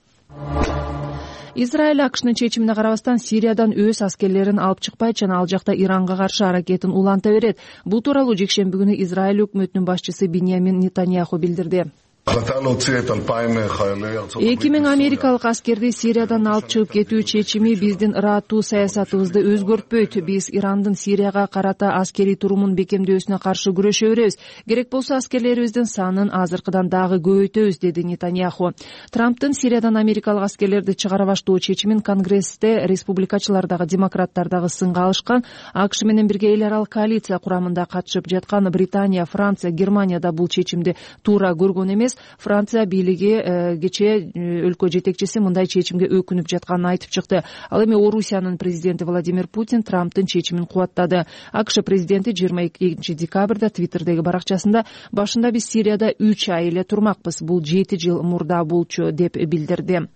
Израиль АКШнын чечимине карабастан Сириядан өз аскерлерин алып чыкпайт жана ал жакта Иранга каршы аракетин уланта берет. Бул тууралуу жекшемби күнү Израиль өкмөтүнүн башчысы Биньямин Нетаньяху билдирди. 2000 америкалык аскерди Сириядан алып чыгып кетүү чечими биздин ырааттуу саясатыбызды өзгөртпөйт. Биз Ирандын Сирияга карата аскерий турумун бекемдөөсүнө каршы күрөшө беребиз. Керек болсо аскерлерибиздин санын азыркыдан дагы көбөйтөбүз, деди Нетаньяху. Трамптын Сириядан америкалык аскерлерди чыгара баштоо чечимин Конгрессте республикачылар дагы демократтар дагы сынга алышкан. АКШ менен бирге эл аралык коалиция курамында катышып жаткан Британия, Франция, Германия да бул чечимди туура көргөн эмес. Франция бийлиги кечээ өлкө жетекчиси мындай чечимге өкүнүп жатканын айтып чыкты. Ал эми Орусиянын президенти Владимир Путин Трамптын чечимин кубаттады. АКШ президенти 22 декабрда Твиттердеги баракчасында башында биз Сирияда 3 ай эле турмакпыз, бул 7 жыл мурда болчу деп билдирди.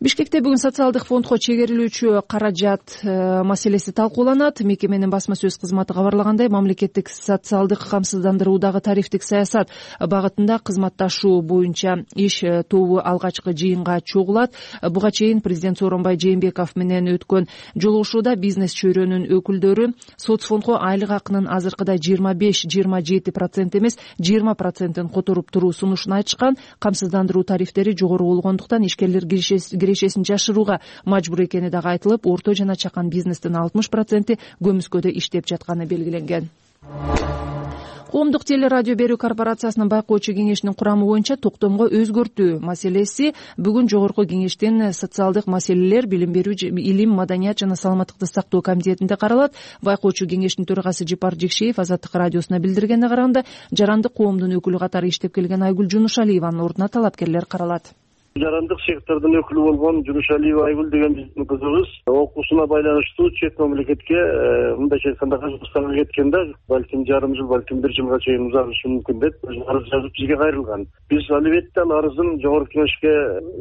Бишкекте бүгүн социалдык фондко чегерилүүчү каражат маселеси талкууланат. Мекеменин басма сөз кызматы кабарлагандай, мамлекеттик социалдык камсыздандыруудагы тарифтик саясат багытында кызматташуу боюнча иш тобу алгачкы жыйынга чогулат. Буга чейин президент Сооронбай Жээнбеков менен өткөн жолугушууда бизнес чөйрөнүн өкүлдөрү соцфондко айлык акынын азыркыдай 25-27% эмес 20%-ин которуп туруу сунушун айтышкан. Камсыздандыруу тарифтери жогору болгондуктан ишкерлер кирешесин жашырууга мажбур экени дагы айтылып, орто жана чакан бизнестин 60% көмүскөдө иштеп жатканы белгиленген. Коомдук телерадио берүү корпорациясынын байкоочу кеңешинин курамы боюнча токтомго өзгөртүү маселеси бүгүн жогорку кеңештин социалдык маселелер, билим берүү, илим, маданият жана саламаттыкты сактоо комитетинде каралат. Байкоочу кеңештин төрагасы Жипар Жекшеев Азаттык радиосуна билдиргенине караганда, жарандык коомдун өкүлү катары иштеп келген Айгүл Жунушалиеванын ордуна талапкерлер каралат. Жарандык сектордун өкүлү болгон Жунушалиева Айгүл деген биздин кызыбыз окуусуна байланыштуу чет мамлекетке мындайча айтканда Казакстанга кеткенде балким жарым жыл, балким 1 жылга чейин узатышы мүмкүн деп арыз жазып бизге кайрылган. Биз албетте ал арызын жогорку кеңешке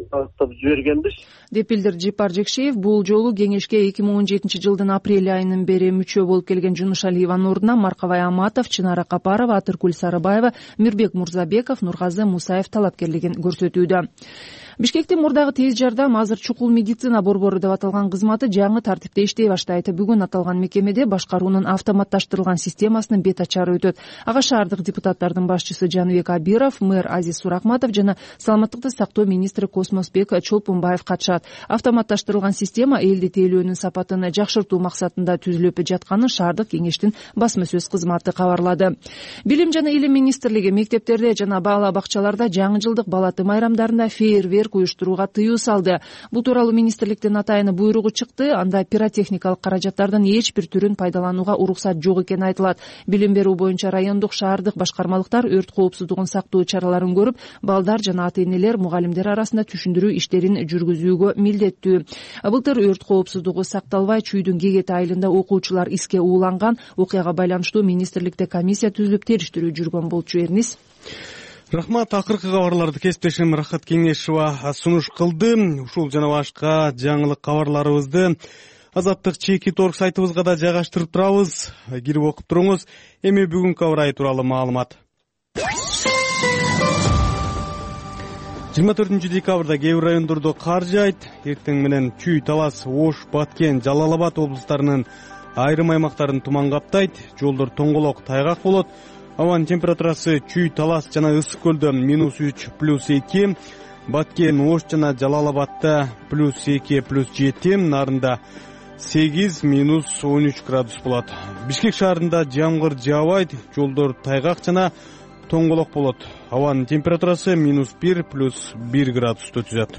багыттап жибергенбиз, деп билдирди Жипар Жекшеев. Бул жолу кеңешке 2017-жылдын апрель айынан бери мүчө болуп келген Жунушалиеванын ордуна Маркабай Аматов, Чынара Капарова, Атыркүл Сарыбаева, Мирбек Мурзабеков, Нургазы Мусаев талапкерлигин көрсөтүүдө. Бишкектин мурдагы тез жардам, азыр чукул медицина борбору деп аталган кызматы жаңы тартипте иштей баштайт. Бүгүн аталган мекемеде башкаруунун автоматташтырылган системасынын бет ачары өтөт. Ага шаардык депутаттардын башчысы Жаныбек Абиров, мэр Азиз Суракматов жана саламаттыкты сактоо министри Космосбек Чолпунбаев катышат. Автоматташтырылган система элди тейлөөнүн сапатын жакшыртуу максатында түзүлүп жатканын шаардык кеңештин басма сөз кызматы кабарлады. Билим жана илим министрлиги мектептерде жана бала бакчаларда жаңы жылдык бала тым айрамдарында фейерверк уюштурууга тыюу салды. Бул тууралуу министрликтин атайын буйругу чыкты. Анда пиротехникалык каражаттардын эч бир түрүн пайдаланууга уруксат жок экени айтылат. Билим берүү боюнча райондук, шаардык башкармалыктар өрт коопсуздугун сактоо чараларын көрүп, балдар жана ата-энелер, мугалимдер арасында түшүндүрүү иштерин жүргүзүүгө милдеттүү. Былтыр өрт коопсуздугу сакталбай, чүйдүн Кегети айылында окуучулар иске ууланган. Окуяга байланыштуу министрликте комиссия түзүлүп териштирүү жүргөн болчу. Эрнис. Рахмат. Акыркы кабарларды кесиптешим Рахат Кеңешова сунуш кылды. Ушул жана башка жаңылык кабарларыбызды Азаттык чеки торг сайтыбызга да жайгаштырып турабыз. Кирип окуп туруңуз. Эми бүгүнкү аба ырайы тууралуу маалымат. 24 декабрда кээ бир райондордо кар жаайт. Эртең менен Чүй, Талас, Ош, Баткен, Жалал Абад облустарынын айрым аймактарын туман каптайт. Жолдор тоңголок, тайгак болот. Абанын температурасы Чүй, Талас жана Ысык көлдө -3, +2, Баткен, Ош жана Жалал Абадта +2, +7, Нарында 8, -13 градус болот. Бишкек шаарында жамгыр жаабайт, жолдор тайгак жана тоңголок болот. Абанын температурасы -1, +1 градусту түзөт.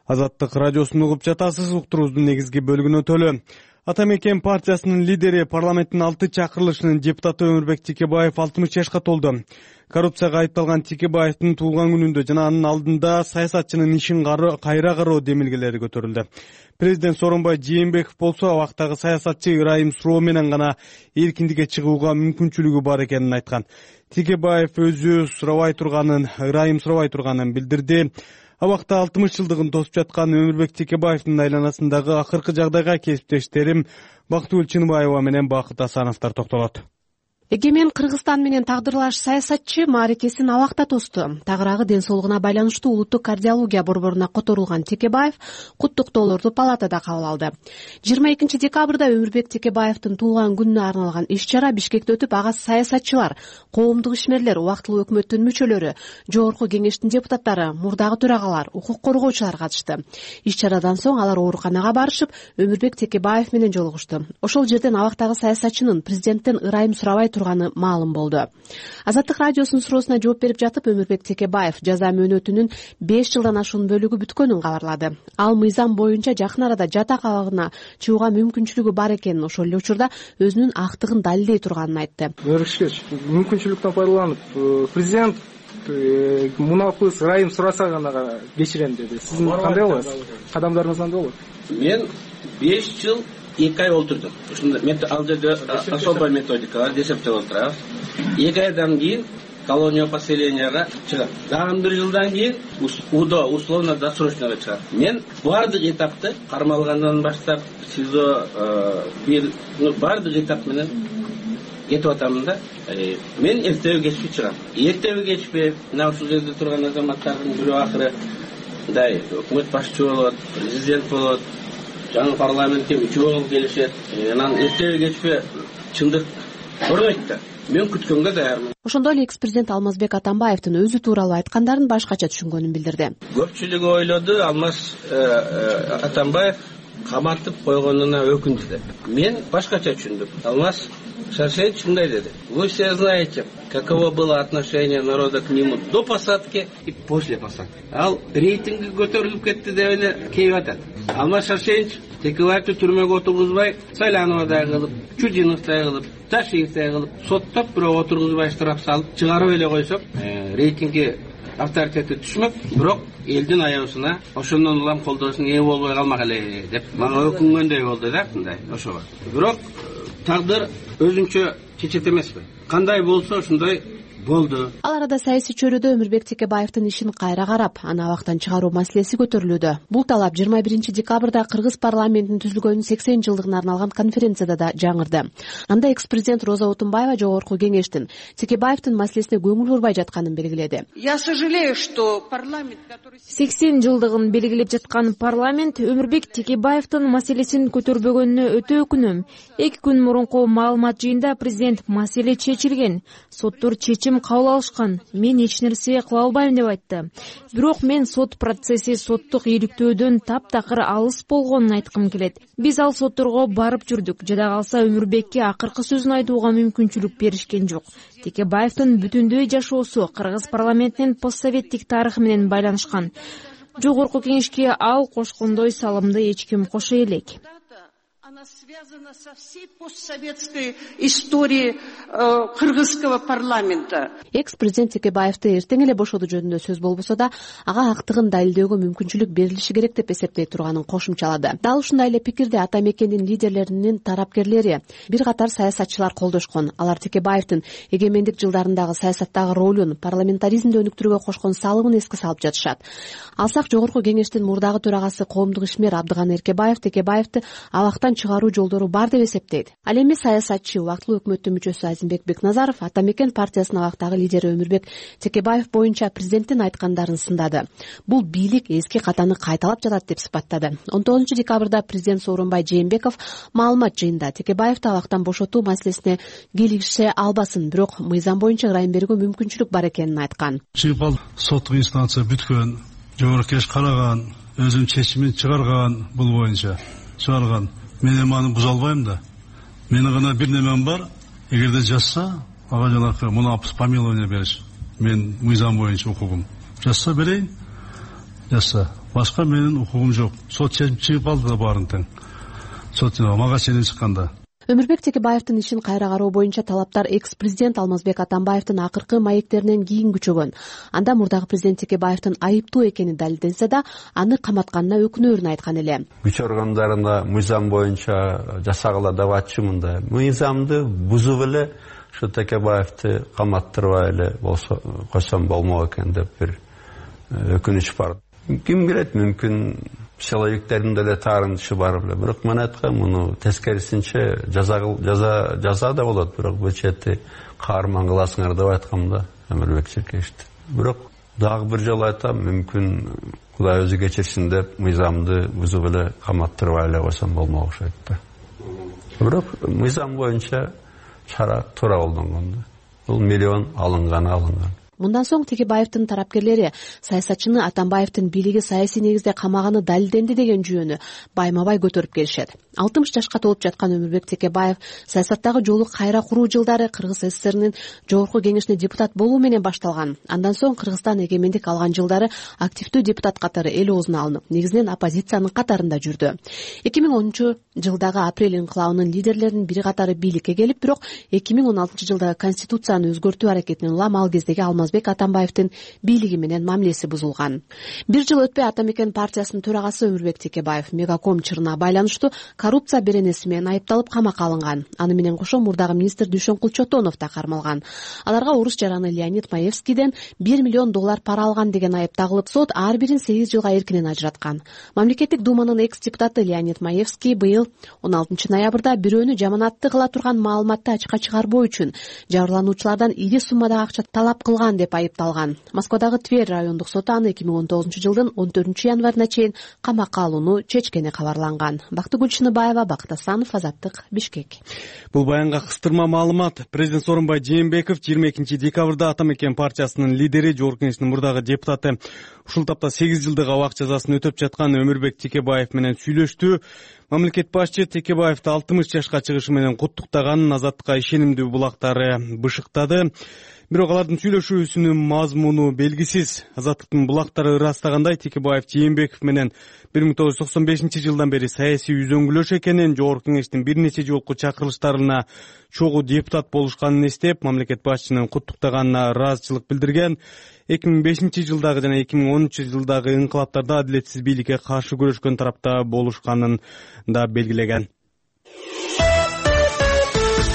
Азаттык радиосун угуп жатасыз. Уктуруубуздун негизги бөлүгүнө төлөө. Ата мекен партиясынын лидери, парламенттин 6 чакырылышынын депутаты Өмүрбек Текебаев 60 жашка толду. Коррупцияга айыпталган Текебаевдин туулган күнүндө жана анын алдында саясатчынын ишин кайра кароо демилгелери көтөрүлдү. Президент Сооронбай Жээнбеков болсо абактагы саясатчы ырайым суроо менен гана эркиндикке чыгууга мүмкүнчүлүгү бар экенин айткан. Текебаев өзү ырайым сурабай турганын билдирди. Абакта 60 жылдыгын тосуп жаткан Өмүрбек Текебаевдин айланасындагы акыркы жагдайга кесиптештерим Бактыгүл Чыныбаева менен Бакыт Асановдор токтолот. Эгемен Кыргызстан менен тагдырлаш саясатчы мааракесин абакта тосту. Тагыраагы ден соолугуна байланыштуу улуттук кардиология борборуна которулган Текебаев куттуктоолорду палатада кабыл алды. 22 декабрда Өмүрбек Текебаевдин туулган күнүнө арналган иш-чара Бишкекте өтүп, ага саясатчылар, коомдук ишмерлер, убактылуу өкмөттүн мүчөлөрү, жогорку кеңештин депутаттары, мурдагы төрагалар, укук коргоочулар катышты. Иш-чарадан соң алар ооруканага барышып, Өмүрбек Текебаев менен жолугушту. Ошол жерден абактагы саясатчынын президенттен ырайым сурабай турганы маалым болду. Азаттык радиосунун суроосуна жооп берип жатып, Өмүрбек Текебаев жаза мөөнөтүнүн 5 жылдан ашуун бөлүгү бүткөнүн кабарлады. Ал мыйзам боюнча жакын арада жатак абагына чыгууга мүмкүнчүлүгү бар экенин, ошол эле учурда өзүнүн актыгын далилдей турганын айтты. Мүмкүнчүлүктөн пайдаланып, президент мунапыс ырайым сураса гана кечирем деди. Сиздин кандай болот? Кадамдарыңыз кандай болот? Мен 5 жыл 2 ай олтурдум. Ушунда ал жерде особая методика бар, десептеп отурабыз. 2 айдан кийин колония поселенияга чыгат. Дагы бир жылдан кийин УДО условно досрочныйга чыгат. Мен бардык этапты кармалгандан баштап СИЗО бардык этап менен кетип атамын да. Мен эртеби кечпи чыгам. Эртеби кечпи мына ушул жерде турган азаматтардын бирөө акыры мындай өкмөт башчы болот, президент болот, жаңы парламентке үчөө болуп келишет. Анан эртеби кечпи чындык көрбөйт да. Мен күткөнгө даярмын. Ошондой эле экс-президент Алмазбек Атамбаевдин өзү тууралуу айткандарын башкача түшүнгөнүн билдирди. Көпчүлүгү ойлоду Алмаз Атамбаев каматып койгонуна өкүндү деп. Мен башкача түшүндүм. Алмаз Шаршевич мындай деди: "Вы все знаете, каково было отношение народа к нему до посадки и после посадки". Ал рейтинги көтөрүлүп кетти деп эле кейип атат. Алмаз Шаршевич Текебаевди түрмөгө отургузбай, Сайлановдай кылып, Чудиновдай кылып, Ташиевдай кылып, соттоп бирок отургузбай штраф салып чыгарып эле койсок, рейтинги авторитети түшмөк, бирок элдин аябысына ошондон улам колдоосуна ээ болбой калмак эле деп мага өкүнгөндөй болду да, мындай ошого. Бирок тагдыр өзүнчө чечет эмеспи? Кандай болсо ошондой болду. Ал арада саясий чөйрөдө Өмүрбек Текебаевдин ишин кайра карап, аны абактан чыгаруу маселеси көтөрүлүүдө. Бул талап 21 декабрда Кыргыз парламентинин түзүлгөнүнүн 80 жылдыгына арналган конференцияда да жаңырды. Анда экс-президент Роза Отунбаева Жогорку кеңештин Текебаевдин маселесине көңүл бурбай жатканын белгиледи. Я сожалею, что парламент, который 80 жылдыгын белгилеп жаткан парламент Өмүрбек Текебаевдин маселесин көтөрбөгөнүнө өтө өкүнөм. 2 күн мурунку маалымат жыйында президент маселе чечилген, соттор чечим кабыл алышкан, мен эч нерсе кыла албайм деп айтты. Бирок мен сот процесси соттук ийгиликтөөдөн таптакыр алыс болгонун айткым келет. Биз ал сотторго барып жүрдүк. Жада калса Өмүрбекке акыркы сөзүн айтууга мүмкүнчүлүк беришкен жок. Текебаевдин бүтүндөй жашоосу Кыргыз парламентинин постсоветтик тарыхы менен байланышкан. Жогорку кеңешке ал кошкондой салымды эч ким кошо элек. Она связана со всей постсоветской историей кыргызского парламента. Экс-президент Текебаевди эртең эле бошотуу жөнүндө сөз болбосо да, ага актыгын далилдөөгө мүмкүнчүлүк берилиши керек деп эсептей турганын кошумчалады. Дал ушундай эле пикирди ата мекендин лидерлеринин тарапкерлери, бир катар саясатчылар колдошкон. Алар Текебаевдин эгемендик жылдарындагы саясаттагы ролун, парламентаризмди өнүктүрүүгө кошкон салымын эске салып жатышат. Алсак Жогорку кеңештин мурдагы төрагасы коомдук ишмер Абдыган Эркебаев Текебаевди абактан чыгаруу жолдору бар деп эсептейт. Ал эми саясатчы, убактылуу өкмөттүн мүчөсү Азимбек Бекназаров Ата мекен партиясынын абактагы лидери Өмүрбек Текебаев боюнча президенттин айткандарын сындады. Бул бийлик эски катаны кайталап жатат деп сыпаттады. 19 декабрда президент Сооронбай Жээнбеков маалымат жыйында Текебаевди абактан бошотуу маселесине кийлигише албасын, бирок мыйзам боюнча ырайым берүүгө мүмкүнчүлүк бар экенин айткан. Чыгып соттук инстанция бүткөн, жогорку кеңеш караган, өзүнүн чечимин чыгарган, бул боюнча чыгарган. Мен эми аны буза албайм да. Менин гана бир немем бар. Эгерде жазса, ага жанакы муну помилование бериш. Мен мыйзам боюнча укугум. Жазса берейин. Жазса. Башка менин укугум жок. Сот чечим чыгып алды да баарын тең. Сот мага чейин чыкканда. Өмүрбек Текебаевдин ишин кайра кароо боюнча талаптар экс-президент Алмазбек Атамбаевдин акыркы маектеринен кийин күчөгөн. Анда мурдагы президент Текебаевдин айыптуу экени далилденсе да, аны каматканына өкүнөөрүн айткан эле. Күч органдарына мыйзам боюнча жасагыла деп атчымын да. Мыйзамды бузуп эле ушу Текебаевди каматтырбай эле болсо койсом болмок экен деп бир өкүнүч бар. Ким билет, мүмкүн силовиктердин деле таарынышы бар беле. Бирок мен айткам, муну тескерисинче жаза да болот, бирок бул чети каарман кыласыңар деп айткам да Өмүрбек Черкешти. Бирок дагы бир жолу айтам, мүмкүн Кудай өзү кечирсин деп мыйзамды бузуп эле каматтырбай эле койсом болмок окшойт да. Бирок мыйзам боюнча чара туура колдонгон да. Бул миллион алынган. Мындан соң Текебаевдин тарапкерлери саясатчыны Атамбаевдин бийлиги саясий негизде камаганы далилденди деген жүйөнү байма-бай көтөрүп келишет. 60 жашка толуп жаткан Өмүрбек Текебаев саясаттагы жолу кайра куруу жылдары Кыргыз СССРнин жогорку кеңешине депутат болуу менен башталган. Андан соң Кыргызстан эгемендик алган жылдары активдүү депутат катары эл оозуна алынып, негизинен оппозициянын катарында жүрдү. 2010 жылдагы апрель инкылабынын лидерлеринин бир катары бийликке келип, бирок 2016 жылдагы конституцияны өзгөртүү аракетинен улам ал кездеги Алмазбек Атамбаевдин бийлиги менен мамилеси бузулган. Бир жыл өтпөй Ата Мекен партиясынын төрагасы Өмүрбек Текебаев Мегаком чырына байланыштуу коррупция беренеси менен айыпталып камакка алынган. Аны менен кошо мурдагы министр Дүйшөнкул Чотонов да кармалган. Аларга урус жараны Леонид Маевскийден $1 миллион пара алган деген айып тагылып, сот ар бирин 8 жылга эркинен ажыраткан. Мамлекеттик думанын экс-депутаты Леонид Маевский быйыл 16 ноябрда бирөөнү жаманатты кыла турган маалыматты ачыкка чыгарбоо үчүн жабырлануучулардан ири суммадагы акча талап кылган деп айыпталган. Москвадагы Тверь райондук соты аны 2019 жылдын 14 январына чейин камакка алууну чечкени кабарланган. Бактыгүл Чыныбаева, Бакыт Асанов, Азаттык, Бишкек. Бул баянга кыстырма маалымат. Президент Сооронбай Жээнбеков 22 декабрда Ата Мекен партиясынын лидери, Жогорку Кеңештин мурдагы депутаты, ушул тапта 8 жылдык абак жазасын өтөп жаткан Өмүрбек Текебаев менен сүйлөштү. Мамлекет башчы Текебаевди 60 жашка чыгышы менен куттуктаган, Азаттыкка ишенимдүү булактары бышыктады. Бирок алардын сүйлөшүүсүнүн мазмуну белгисиз. Азаттыктын булактары ырастагандай, Текебаев Жээнбеков менен 1995 жылдан бери саясий үзөңгүлөш экенин, Жогорку Кеңештин бир нече жолку чакырылыштарына чогуу депутат болушканын эстеп, мамлекет башчынын куттуктаганына ыраазычылык билдирген. 2005 жылдагы жана 2013 жылдагы инкылаптарда адилетсиз бийликке каршы күрөшкөн тарапта болушканын да белгилеген.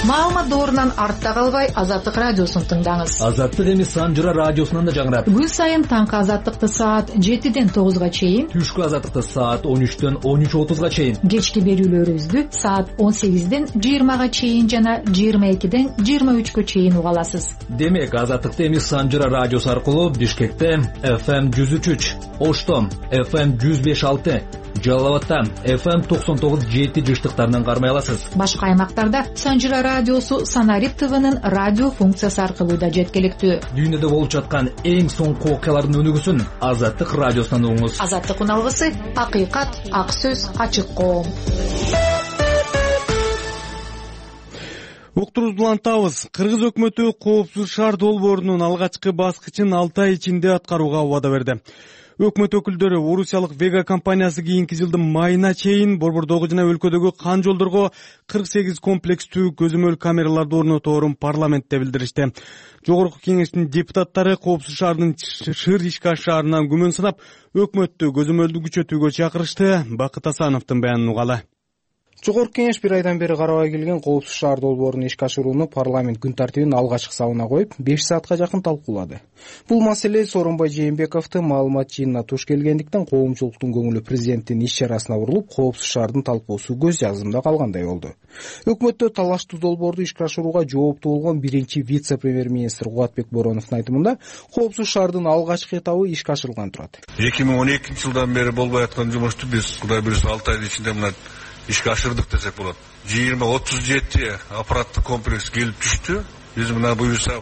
Маалымат доорунан артта калбай Азаттык радиосун тыңдаңыз. Азаттык эми Санжыра радиосунан да жаңырат. Күн сайын таңкы Азаттыкты саат 7ден 9га чейин, түшкү Азаттыкты саат 13дөн 13:30га чейин, кечки берүүлөрүбүздү саат 18ден 20га чейин жана 22ден 23гө чейин уга аласыз. Демек, Азаттыкты эми Санжыра радиосу аркылуу Бишкекте FM 103, Ошто FM 105.6, Жалал Абадта FM 99.7 жыштыктарынан кармай аласыз. Башка аймактарда Санжыра радиосу Санарип ТВнын радио функциясы аркылуу да жеткиликтүү. Дүйнөдө болуп жаткан эң соңку окуялардын өнүгүүсүн Азаттык радиосунан угуңуз. Азаттык уналгысы акыйкат, ак сөз, ачык коом. Уктурубузду улантабыз. Кыргыз өкмөтү Коопсуз шаар долбоорунун алгачкы баскычын 6 ай ичинде аткарууга убада берди. Өкмөт өкүлдөрү орусиялык Вега компаниясы кийинки жылдын майына чейин борбордогу жана өлкөдөгү кан жолдорго 48 комплекстүү көзөмөл камераларды орнотоорун парламентте билдиришти. Жогорку Кеңештин депутаттары Коопсуз шаарынын Шыр Ишкаш шаарынан күмөн санап, өкмөттү көзөмөлдү күчөтүүгө чакырышты. Бакыт Асановдун баянын угалы. Жогорку Кеңеш бир айдан бери карабай келген Коопсуз шаар долбоорун ишке ашырууну парламент күн тартибинин алгачкы сабына коюп, 5 саатка жакын талкуулады. Бул маселе Сооронбай Жээнбековду маалымат жыйынына туш келгендиктен коомчулуктун көңүлү президенттин иш-чарасына бурулуп, Коопсуз шаардын талкуусу көз жазымда калгандай болду. Өкмөттө талаштуу долбоорду ишке ашырууга жооптуу болгон биринчи вице-премьер-министр Кубатбек Бороновдун айтымында, Коопсуз шаардын алгачкы этабы ишке ашырылган турат. 2012 жылдан бери болбой аткан жумушту биз Кудай буюрса 6 айдын ичинде мына ишке ашырдык десек болот. 20-37 аппараттык комплекс келип түштү. Биз мына буюрса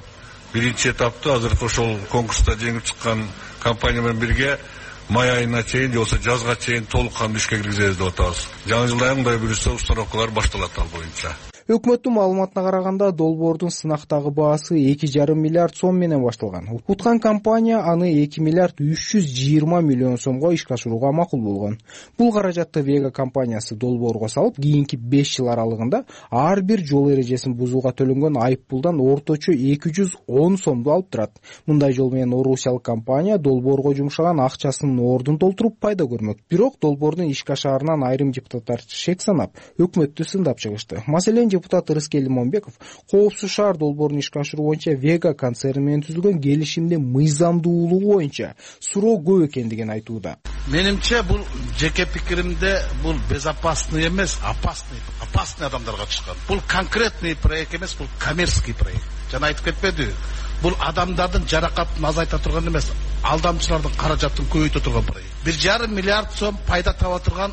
биринчи этапты азыркы ошол конкурста жеңип чыккан компания менен бирге май айына чейин же болбосо жазга чейин толук кандуу ишке киргизебиз деп атабыз. Жаңы жылда Кудай буюрса установкалар башталат ал боюнча. Өкмөттүн маалыматына караганда, долбоордун сынактагы баасы 2,5 миллиард сом менен башталган. Уткан компания аны 2 миллиард 320 миллион сомго ишке ашырууга макул болгон. Бул каражатты Вега компаниясы долбоорго салып, кийинки 5 жыл аралыгында ар бир жол эрежесин бузууга төлөнгөн айып пулдан орточо 210 сомду алып турат. Мындай жол менен орусиялык компания долбоорго жумшаган акчасынын ордун толтуруп пайда көрмөк. Бирок долбоордун ишке ашаарынан айрым депутаттар шек санап, өкмөттү сындап чыгышты. Маселен депутат Рыскел Момбеков Коопсуз шаар долбоорун ишке ашыруу боюнча Вега концерни менен түзүлгөн келишимдин мыйзамдуулугу боюнча суроо көп экендигин айтууда. Менимче бул жеке пикиримде бул безопасный эмес, опасный адамдарга чыккан. Бул конкретный проект эмес, бул коммерческий проект. Жана айтып кетпедиби? Бул адамдардын жаракатын азайта турган эмес, алдамчылардын каражатын көбөйтө турган проект. 1,5 миллиард сом пайда таба турган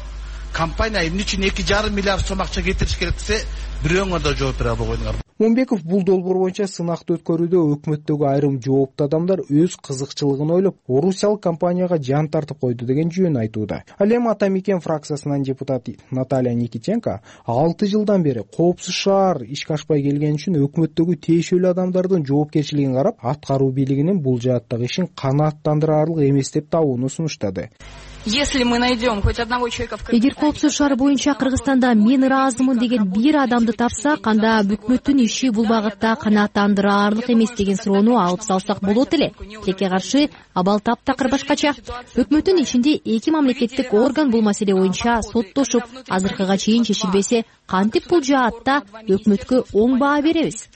компания эмне үчүн 2,5 миллиард сом акча кетириш керек десе, бирөөңөр да жооп бере албайдыңар. Момбеков бул долбоор боюнча сынакты өткөрүүдө өкмөттөгү айрым жооптуу адамдар өз кызыкчылыгын ойлоп, орусиялык компанияга жан тартып койду деген жөн айтууда. Ал эми Ата Мекен фракциясынан депутат Наталья Никитенко 6 жылдан бери Коопсуз шаар ишке ашпай келген үчүн өкмөттөгү тиешелүү адамдардын жоопкерчилигин карап, аткаруу бийлигинин бул жааттагы ишин канааттандырарлык эмес деп табууну сунуштады. Эгер Коопсуз шаары боюнча Кыргызстанда мен ыраазымын деген бир адамды чечимди тапсак, анда өкмөттүн иши бул багытта канааттандыраарлык эмес деген суроону алып салсак болот эле. Тилекке каршы абал таптакыр башкача. Өкмөттүн ичинде эки мамлекеттик орган бул маселе боюнча соттошуп, азыркыга чейин чечилбесе, кантип бул жаатта өкмөткө оң баа беребиз?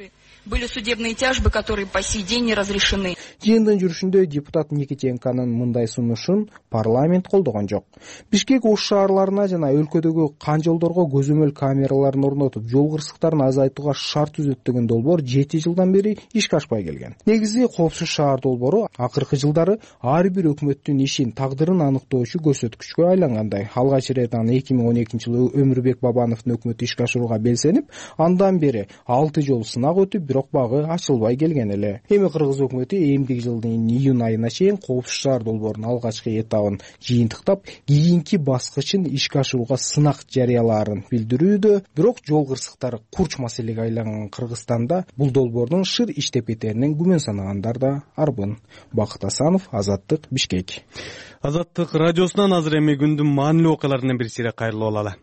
Были судебные тяжбы, которые по сей день не разрешены. Жыйындын жүрүшүндө депутат Никитенконун мындай сунушун парламент колдогон жок. Бишкек Ош шаарларына жана өлкөдөгү канжолдорго көзөмөл камераларын орнотуп, жол кырсыктарын азайтууга шарт түзөт деген долбоор 7 жылдан бери ишке ашпай келген. Негизи коопсуз шаар долбоору акыркы жылдары ар бир өкмөттүн ишин, тагдырын аныктоочу көрсөткүчкө айлангандай. Алгач ирет аны 2012-жылы Өмүрбек Бабановдун өкмөтү ишке ашырууга белсенип, андан бери 6 жол сынак өтүп, бирок багы ачылбай келген эле. Эми кыргыз өкмөтү эмдиги жылдын июнь айына чейин коопсуз шаар долбоорунун алгачкы этабын жыйынтыктап, кийинки баскычын ишке ашырууга сынак жарыялаарын билдирүүдө. Бирок жол кырсыктары курч маселеге айланган Кыргызстанда бул долбоордун шыр иштеп кетеринен күмөн санагандар да арбын. Бакыт Асанов, Азаттык, Бишкек. Азаттык радиосунан азыр эми күндүн маанилүү окуяларынан бир сире кайрылып алалы.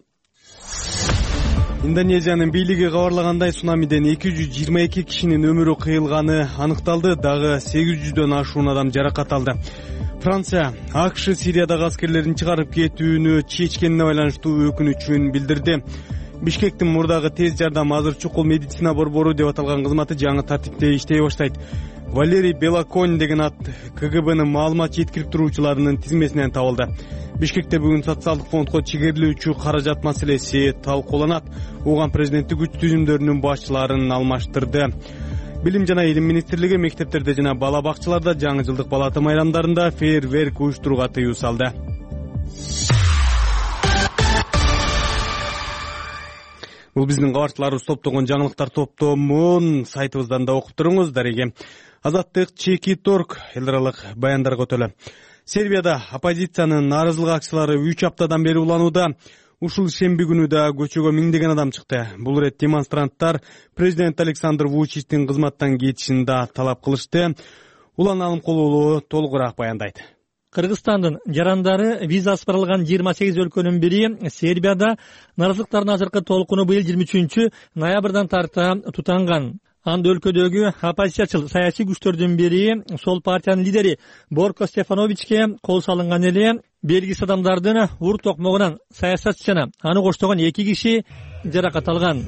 Индонезиянын бийлиги кабарлагандай, цунамиден 222 кишинин өмүрү кыйылганы аныкталды, дагы 800дөн ашуун адам жаракат алды. Франция АКШ Сириядагы аскерлерин чыгарып кетүүнү чечкенине байланыштуу өкүнүчүн билдирди. Бишкектин мурдагы тез жардам азыр чукул медицина борбору деп аталган кызматы жаңы тартипте иштей баштайт. Валерий Белоконь деген ат КГБнын маалымат жеткирип туруучуларынын тизмесинен табылды. Бишкекте бүгүн социалдык фондко чегерилүүчү каражат маселеси талкууланат. Оған президенттик күч түзүмдөрүнүн башчыларын алмаштырды. Билим жана Илим министрлиги мектептерде жана бала бакчаларда жаңы жылдык балата майрамдарында фейерверк уюштурууга тыюу салды. Бул биздин кабарчыларыбыз топтогон жаңылыктар топтомун сайтыбыздан да окуп туруңуз. Дареге Азаттык Чеки.орг элдералык баяндарга өтөлө. Сербияда оппозициянын нааразылык акциялары 3 аптадан бери уланууда. Ушул шемби күнү да көчөгө миңдеген адам чыкты. Бул рет демонстранттар президент Александр Вучичтин кызматтан кетишин да талап кылышты. Улан Алымкулуулу толугураак баяндайт. Кыргызстандын жарандары визасы барылган 28 өлкөнүн бири Сербияда нааразылыктардын азыркы толкуну быйыл 23 ноябрдан тарта тутанган. Анда өлкөдөгү оппозициячыл саясий күчтөрдүн бири Сол партиянын лидери Борко Стефановичке кол салынган эле. Белгисиз адамдардын ур токмогунан саясатчыны аны коштогон 2 киши жаракат алган.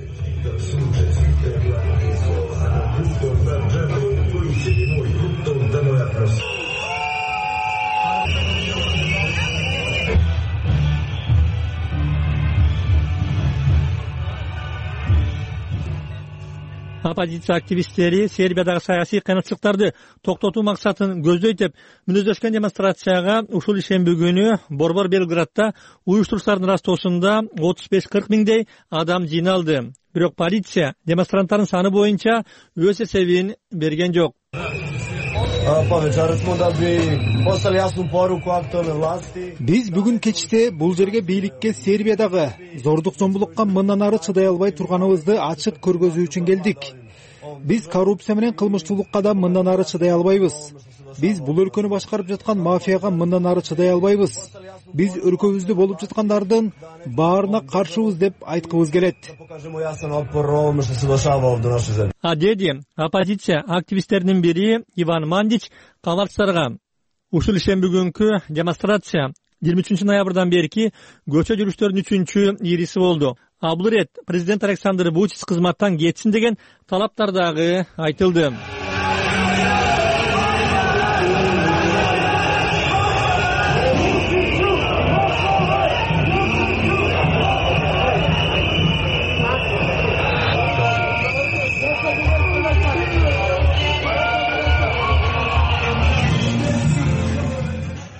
Оппозиция активисттери Сербиядагы саясий кыйынчылыктарды токтотуу максатын көздөйт деп мүнөздөшкөн демонстрацияга ушул ишемби күнү Борбор Белградда уюштуруштардын растоосунда 35-40 миңдей адам жыйналды. Бирок полиция демонстранттардын саны боюнча өз эсебин берген жок. Биз бүгүн кечте бул жерге бийликке Сербиядагы зордук зомбулукка мындан ары чыдай албай турганыбызды ачык көргөзүү үчүн келдик. Биз коррупция менен кылмыштуулукка да мындан ары чыдай албайбыз. Биз бул өлкөнү башкарып жаткан мафияга мындан ары чыдай албайбыз. Биз өлкөбүздө болуп жаткандардын баарына каршыбыз деп айткыбыз келет. Деди оппозиция активисттеринин бири Иван Мандич кабарчыларга. Ушул ишемби күнкү демонстрация 23 ноябрдан берки көчө жүрүштөрүнүн 3-чү ириси болду. Бул рет президент Александр Вучич кызматтан кетсин деген талаптар дагы айтылды.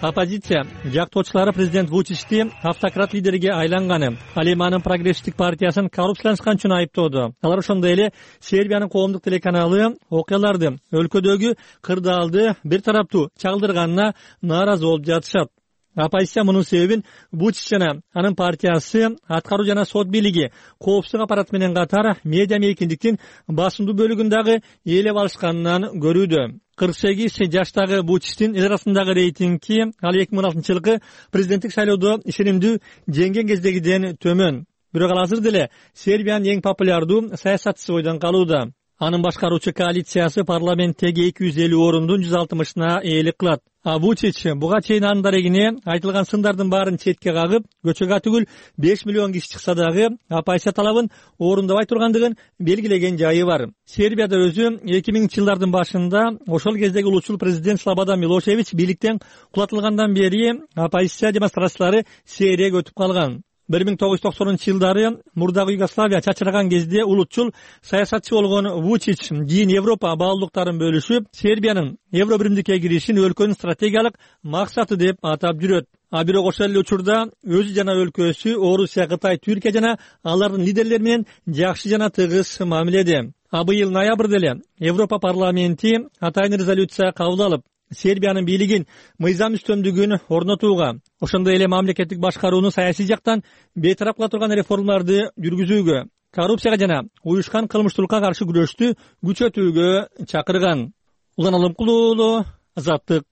Оппозиция жактоочулары президент Вучичти автократ лидерге айланганы, ал эми анын прогрессивдик партиясын коррупцияланышкан үчүн айыптоодо. Алар ошондой эле Сербиянын коомдук телеканалы окуяларды өлкөдөгү кырдаалды бир тараптуу чагылдырганына нааразы болуп жатышат. Оппозиция мунун себебин Вучич жана анын партиясы аткаруу жана сот бийлиги коопсуздук аппараты менен катар медиа мейкиндиктин басымдуу бөлүгүн дагы ээлеп алышканынан көрүүдө. 48 жаштагы Вучичтин эл арасындагы рейтинги ал 2016-жылкы президенттик шайлоодо ишенимдүү жеңген кездегиден төмөн. Бирок ал азыр деле Сербиянын эң популярдуу саясатчысы бойдон калууда. Анын башкаруучу коалициясы парламенттеги 250 орундун 160-ына ээлик кылат. А Вучич буга чейин анын дарегине айтылган сындардын баарын четке кагып, көчөгө түгүл 5 миллион киши чыкса дагы оппозиция талабын орундабай тургандыгын белгилеген жайы бар. Сербияда өзү 2000-жылдардын башында ошол кездеги улутчул президент Слободан Милошевич бийликтен кулатылгандан бери оппозиция демонстрациялары сейрек өтүп калган. 1990-жылдары мурдагы Югославия чачыраган кезде улутчул саясатчы болгон Вучич кийин Европа баалуулуктарын бөлүшүп, Сербиянын Евробиримдикке киришин өлкөнүн стратегиялык максаты деп атап жүрөт. А бирок ошол эле учурда өзү жана өлкөсү Орусия, Кытай, Түркия жана алардын лидерлери менен жакшы жана тыгыз мамиледе. А быйыл ноябрда эле Европа парламенти атайын резолюция кабыл алып, Сербиянын бийлигин мыйзам үстөмдүгүн орнотууга, ошондой эле мамлекеттик башкарууну саясий жактан бейтарап кыла турган реформаларды жүргүзүүгө, коррупцияга жана уюшкан кылмыштуулукка каршы күрөштү күчөтүүгө чакырган. Улан Алымкулуу, Азаттык.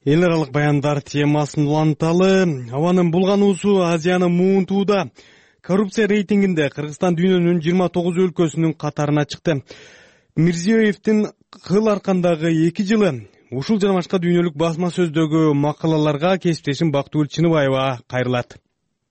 Эл аралык баяндар темасын уланталы. Абанын булгануусу Азиянын муунтууда коррупция рейтингинде Кыргызстан дүйнөнүн 29 өлкөсүнүн катарына чыкты. Мирзиёевдин кыл аркандагы 2 жылы ушул жана башка дүйнөлүк басма сөздөгү макалаларга кесиптешим Бактыгүл Чыныбаева кайрылат.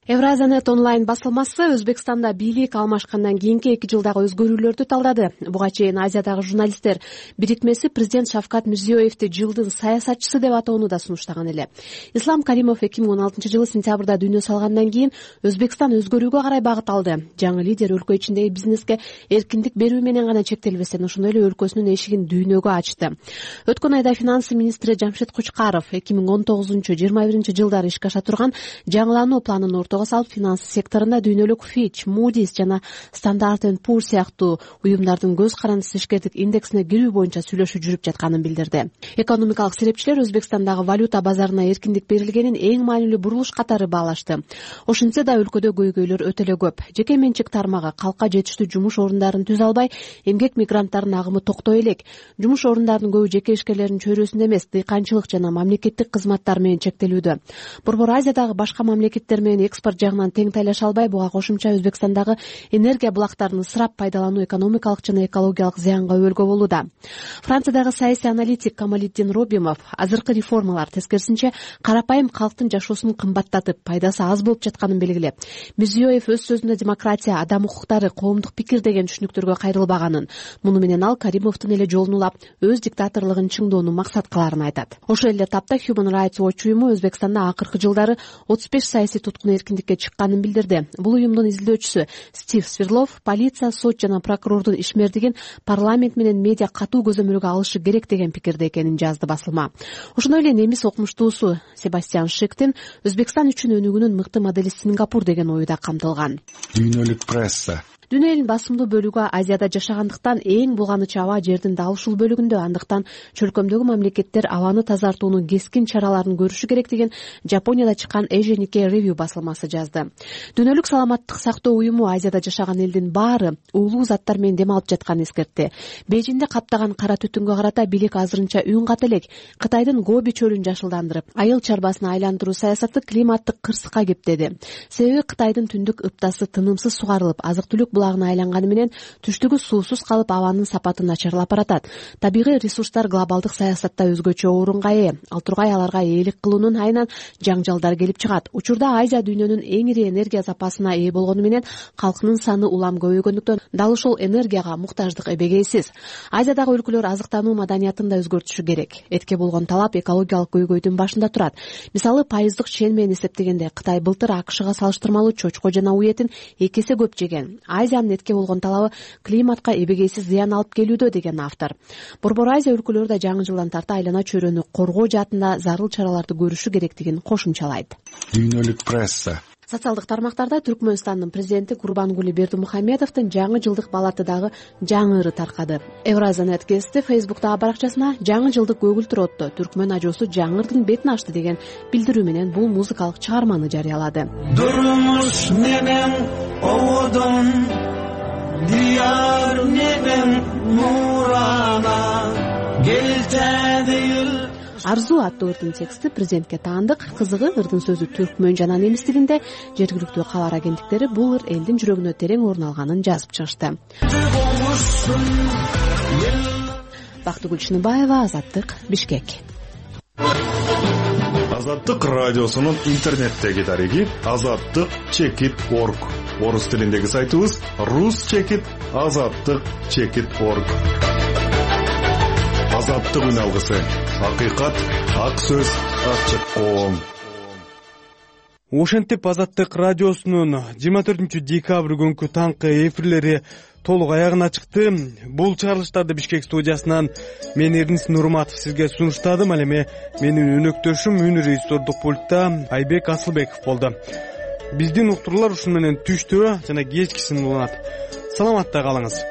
Евразиянет онлайн басылмасы Өзбекстанда бийлик алмашкандан кийинки 2 жылдагы өзгөрүүлөрдү талдады. Буга чейин Азиядагы журналисттер бирикмеси президент Шавкат Мирзиёевди жылдын саясатчысы деп атоону да сунуштаган эле. Ислам Каримов 2016-жылы сентябрда дүйнө салгандан кийин Өзбекстан өзгөрүүгө карай багыт алды. Жаңы лидер өлкө ичиндеги бизнеске эркиндик берүү менен гана чектелбестен, ошондой эле өлкөсүнүн эшигин дүйнөгө ачты. Өткөн айда финансы министри Жамшид Кучкаров 2019-21 жылдары ишке аша турган жаңылануу планын салып финансы секторунда дүйнөлүк Fitch, Moody's жана Standard & Poor сыяктуу уюмдардын көз карандысыз ишкердик индексине кирүү боюнча сүйлөшүү жүрүп жатканын билдирди. Экономикалык серепчилер Өзбекстандагы валюта базарына эркиндик берилгенин эң маанилүү бурулуш катары баалашты. Ошентсе да өлкөдө көйгөйлөр өтө эле көп. Жеке менчик тармагы калкка жетиштүү жумуш орундарын түзө албай, эмгек мигранттарынын агымы токтой элек. Жумуш орундарынын көбү жеке ишкерлердин чөйрөсүндө эмес, дыйканчылык жана мамлекеттик кызматтар менен чектелүүдө. Борбор Азиядагы башка мамлекеттер менен экспорт жагынан тең тайлаша албай, буга кошумча Өзбекстандагы энергия булактарын ысырап пайдалануу экономикалык жана экологиялык зыянга өбөлгө болууда. Франциядагы саясий аналитик Камалиддин Робимов азыркы реформалар тескерисинче карапайым калктын жашоосун кымбаттатып, пайдасы аз болуп жатканын белгилеп, Мирзиёев өз сөзүндө демократия, адам укуктары, коомдук пикир деген түшүнүктөргө кайрылбаганын, муну менен ал Каримовдун эле жолун улап, өз диктаторлугун чыңдоону максат кыларын айтат. Ошол эле тапта Human Rights Watch уюму Өзбекстанда акыркы жылдары 35 саясий туткун эркиндикке чыкканын билдирди. Бул уюмдун изилдөөчүсү Стив Сверлов полиция, сот жана прокурордун ишмердигин парламент менен медиа катуу көзөмөлгө алышы керек деген пикирде экенин жазды басылма. Ошондой эле немис окумуштуусу Себастьян Шиктин Өзбекстан үчүн өнүгүүнүн мыкты модели Сингапур деген ою да камтылган. Дүйнөлүк пресса Дүйнө элинин басымдуу бөлүгү Азияда жашагандыктан эң булганычы аба жердин дал ушул бөлүгүндө, андыктан чөлкөмдөгү мамлекеттер абаны тазартуунун кескин чараларын көрүшү керек деген Жапонияда чыккан Asian Nikkei Review басылмасы жазды. Дүйнөлүк саламаттык сактоо уюму Азияда жашаган элдин баары уулуу заттар менен дем алып жатканын эскертти. Бейжиңде каптаган кара түтүнгө карата бийлик азырынча үн ката элек. Кытайдын Гоби чөлүн жашылдандырып, айыл чарбасына айландыруу саясаты климаттык кырсыкка кептеди. Себеби Кытайдын түндүк ыптасы тынымсыз сугарылып, азык-түлүк булагына айланганы менен түштүгү суусуз калып, абанын сапаты начарлап баратат. Табигый ресурстар глобалдык саясатта өзгөчө орунга ээ. Ал тургай аларга ээлик кылуунун айынан жаңжалдар келип чыгат. Учурда Азия дүйнөнүн эң ири энергия запасына ээ болгону менен калкынын саны улам көбөйгөндүктөн дал ушул энергияга муктаждык эбегейсиз. Азиядагы өлкөлөр азыктануу маданиятын да өзгөртүшү керек. Этке болгон талап экологиялык көйгөйдүн башында турат. Мисалы, пайыздык чен менен эсептегенде Кытай былтыр АКШга салыштырмалуу чочко жана уу этин 2 эсе көп жеген. Азиянын этке болгон талабы климатка эбегейсиз зыян алып келүүдө деген автор. Борбор Азия өлкөлөрү да жаңы жылдан тарта айлана чөйрөнү коргоо жаатында зарыл чараларды көрүшү керектигин кошумчалайт. Дүйнөлүк пресса Социалдык тармактарда Түркмөнстандын президенти Курбангули Бердимухамедовдун жаңы жылдык балатыдагы жаңы ыры таркады. Евразиянет кести Facebook'тагы баракчасына жаңы жылдык көгүлтүр отто түркмөн ажоосу жаңы ырдын бетин ачты деген билдирүү менен бул музыкалык чыгарманы жарыялады. Durmuş nenem oğudun, diyar nenem nurana, geltedi yıl. Арзуу аттуу ырдын тексти президентке таандык. Кызыгы ырдын сөзү түркмөн жана немис тилинде. Жергиликтүү кабар агенттиктери бул ыр элдин жүрөгүнө терең орун алганын жазып чыгышты. Бактыгүл Чыныбаева, Азаттык, Бишкек. Азаттык радиосунун интернеттеги дареги azattik.org. Орус тилиндеги сайтыбыз rus.azattik.org. Азаттык үн алгысы. Акыйкат, ак сөз, ачык коом. Ошентип Азаттык радиосунун 24 декабрь күнкү таңкы эфирлери толук аягына чыкты. Бул чыгарылыштарды Бишкек студиясынан мен Эрнис Нурматов сизге сунуштадым. Ал эми менин өнөктөшүм үн режиссердук пультта Айбек Асылбеков болду. Биздин уктуруулар ушун менен түштө жана кечкисин уланат. Саламатта калыңыз.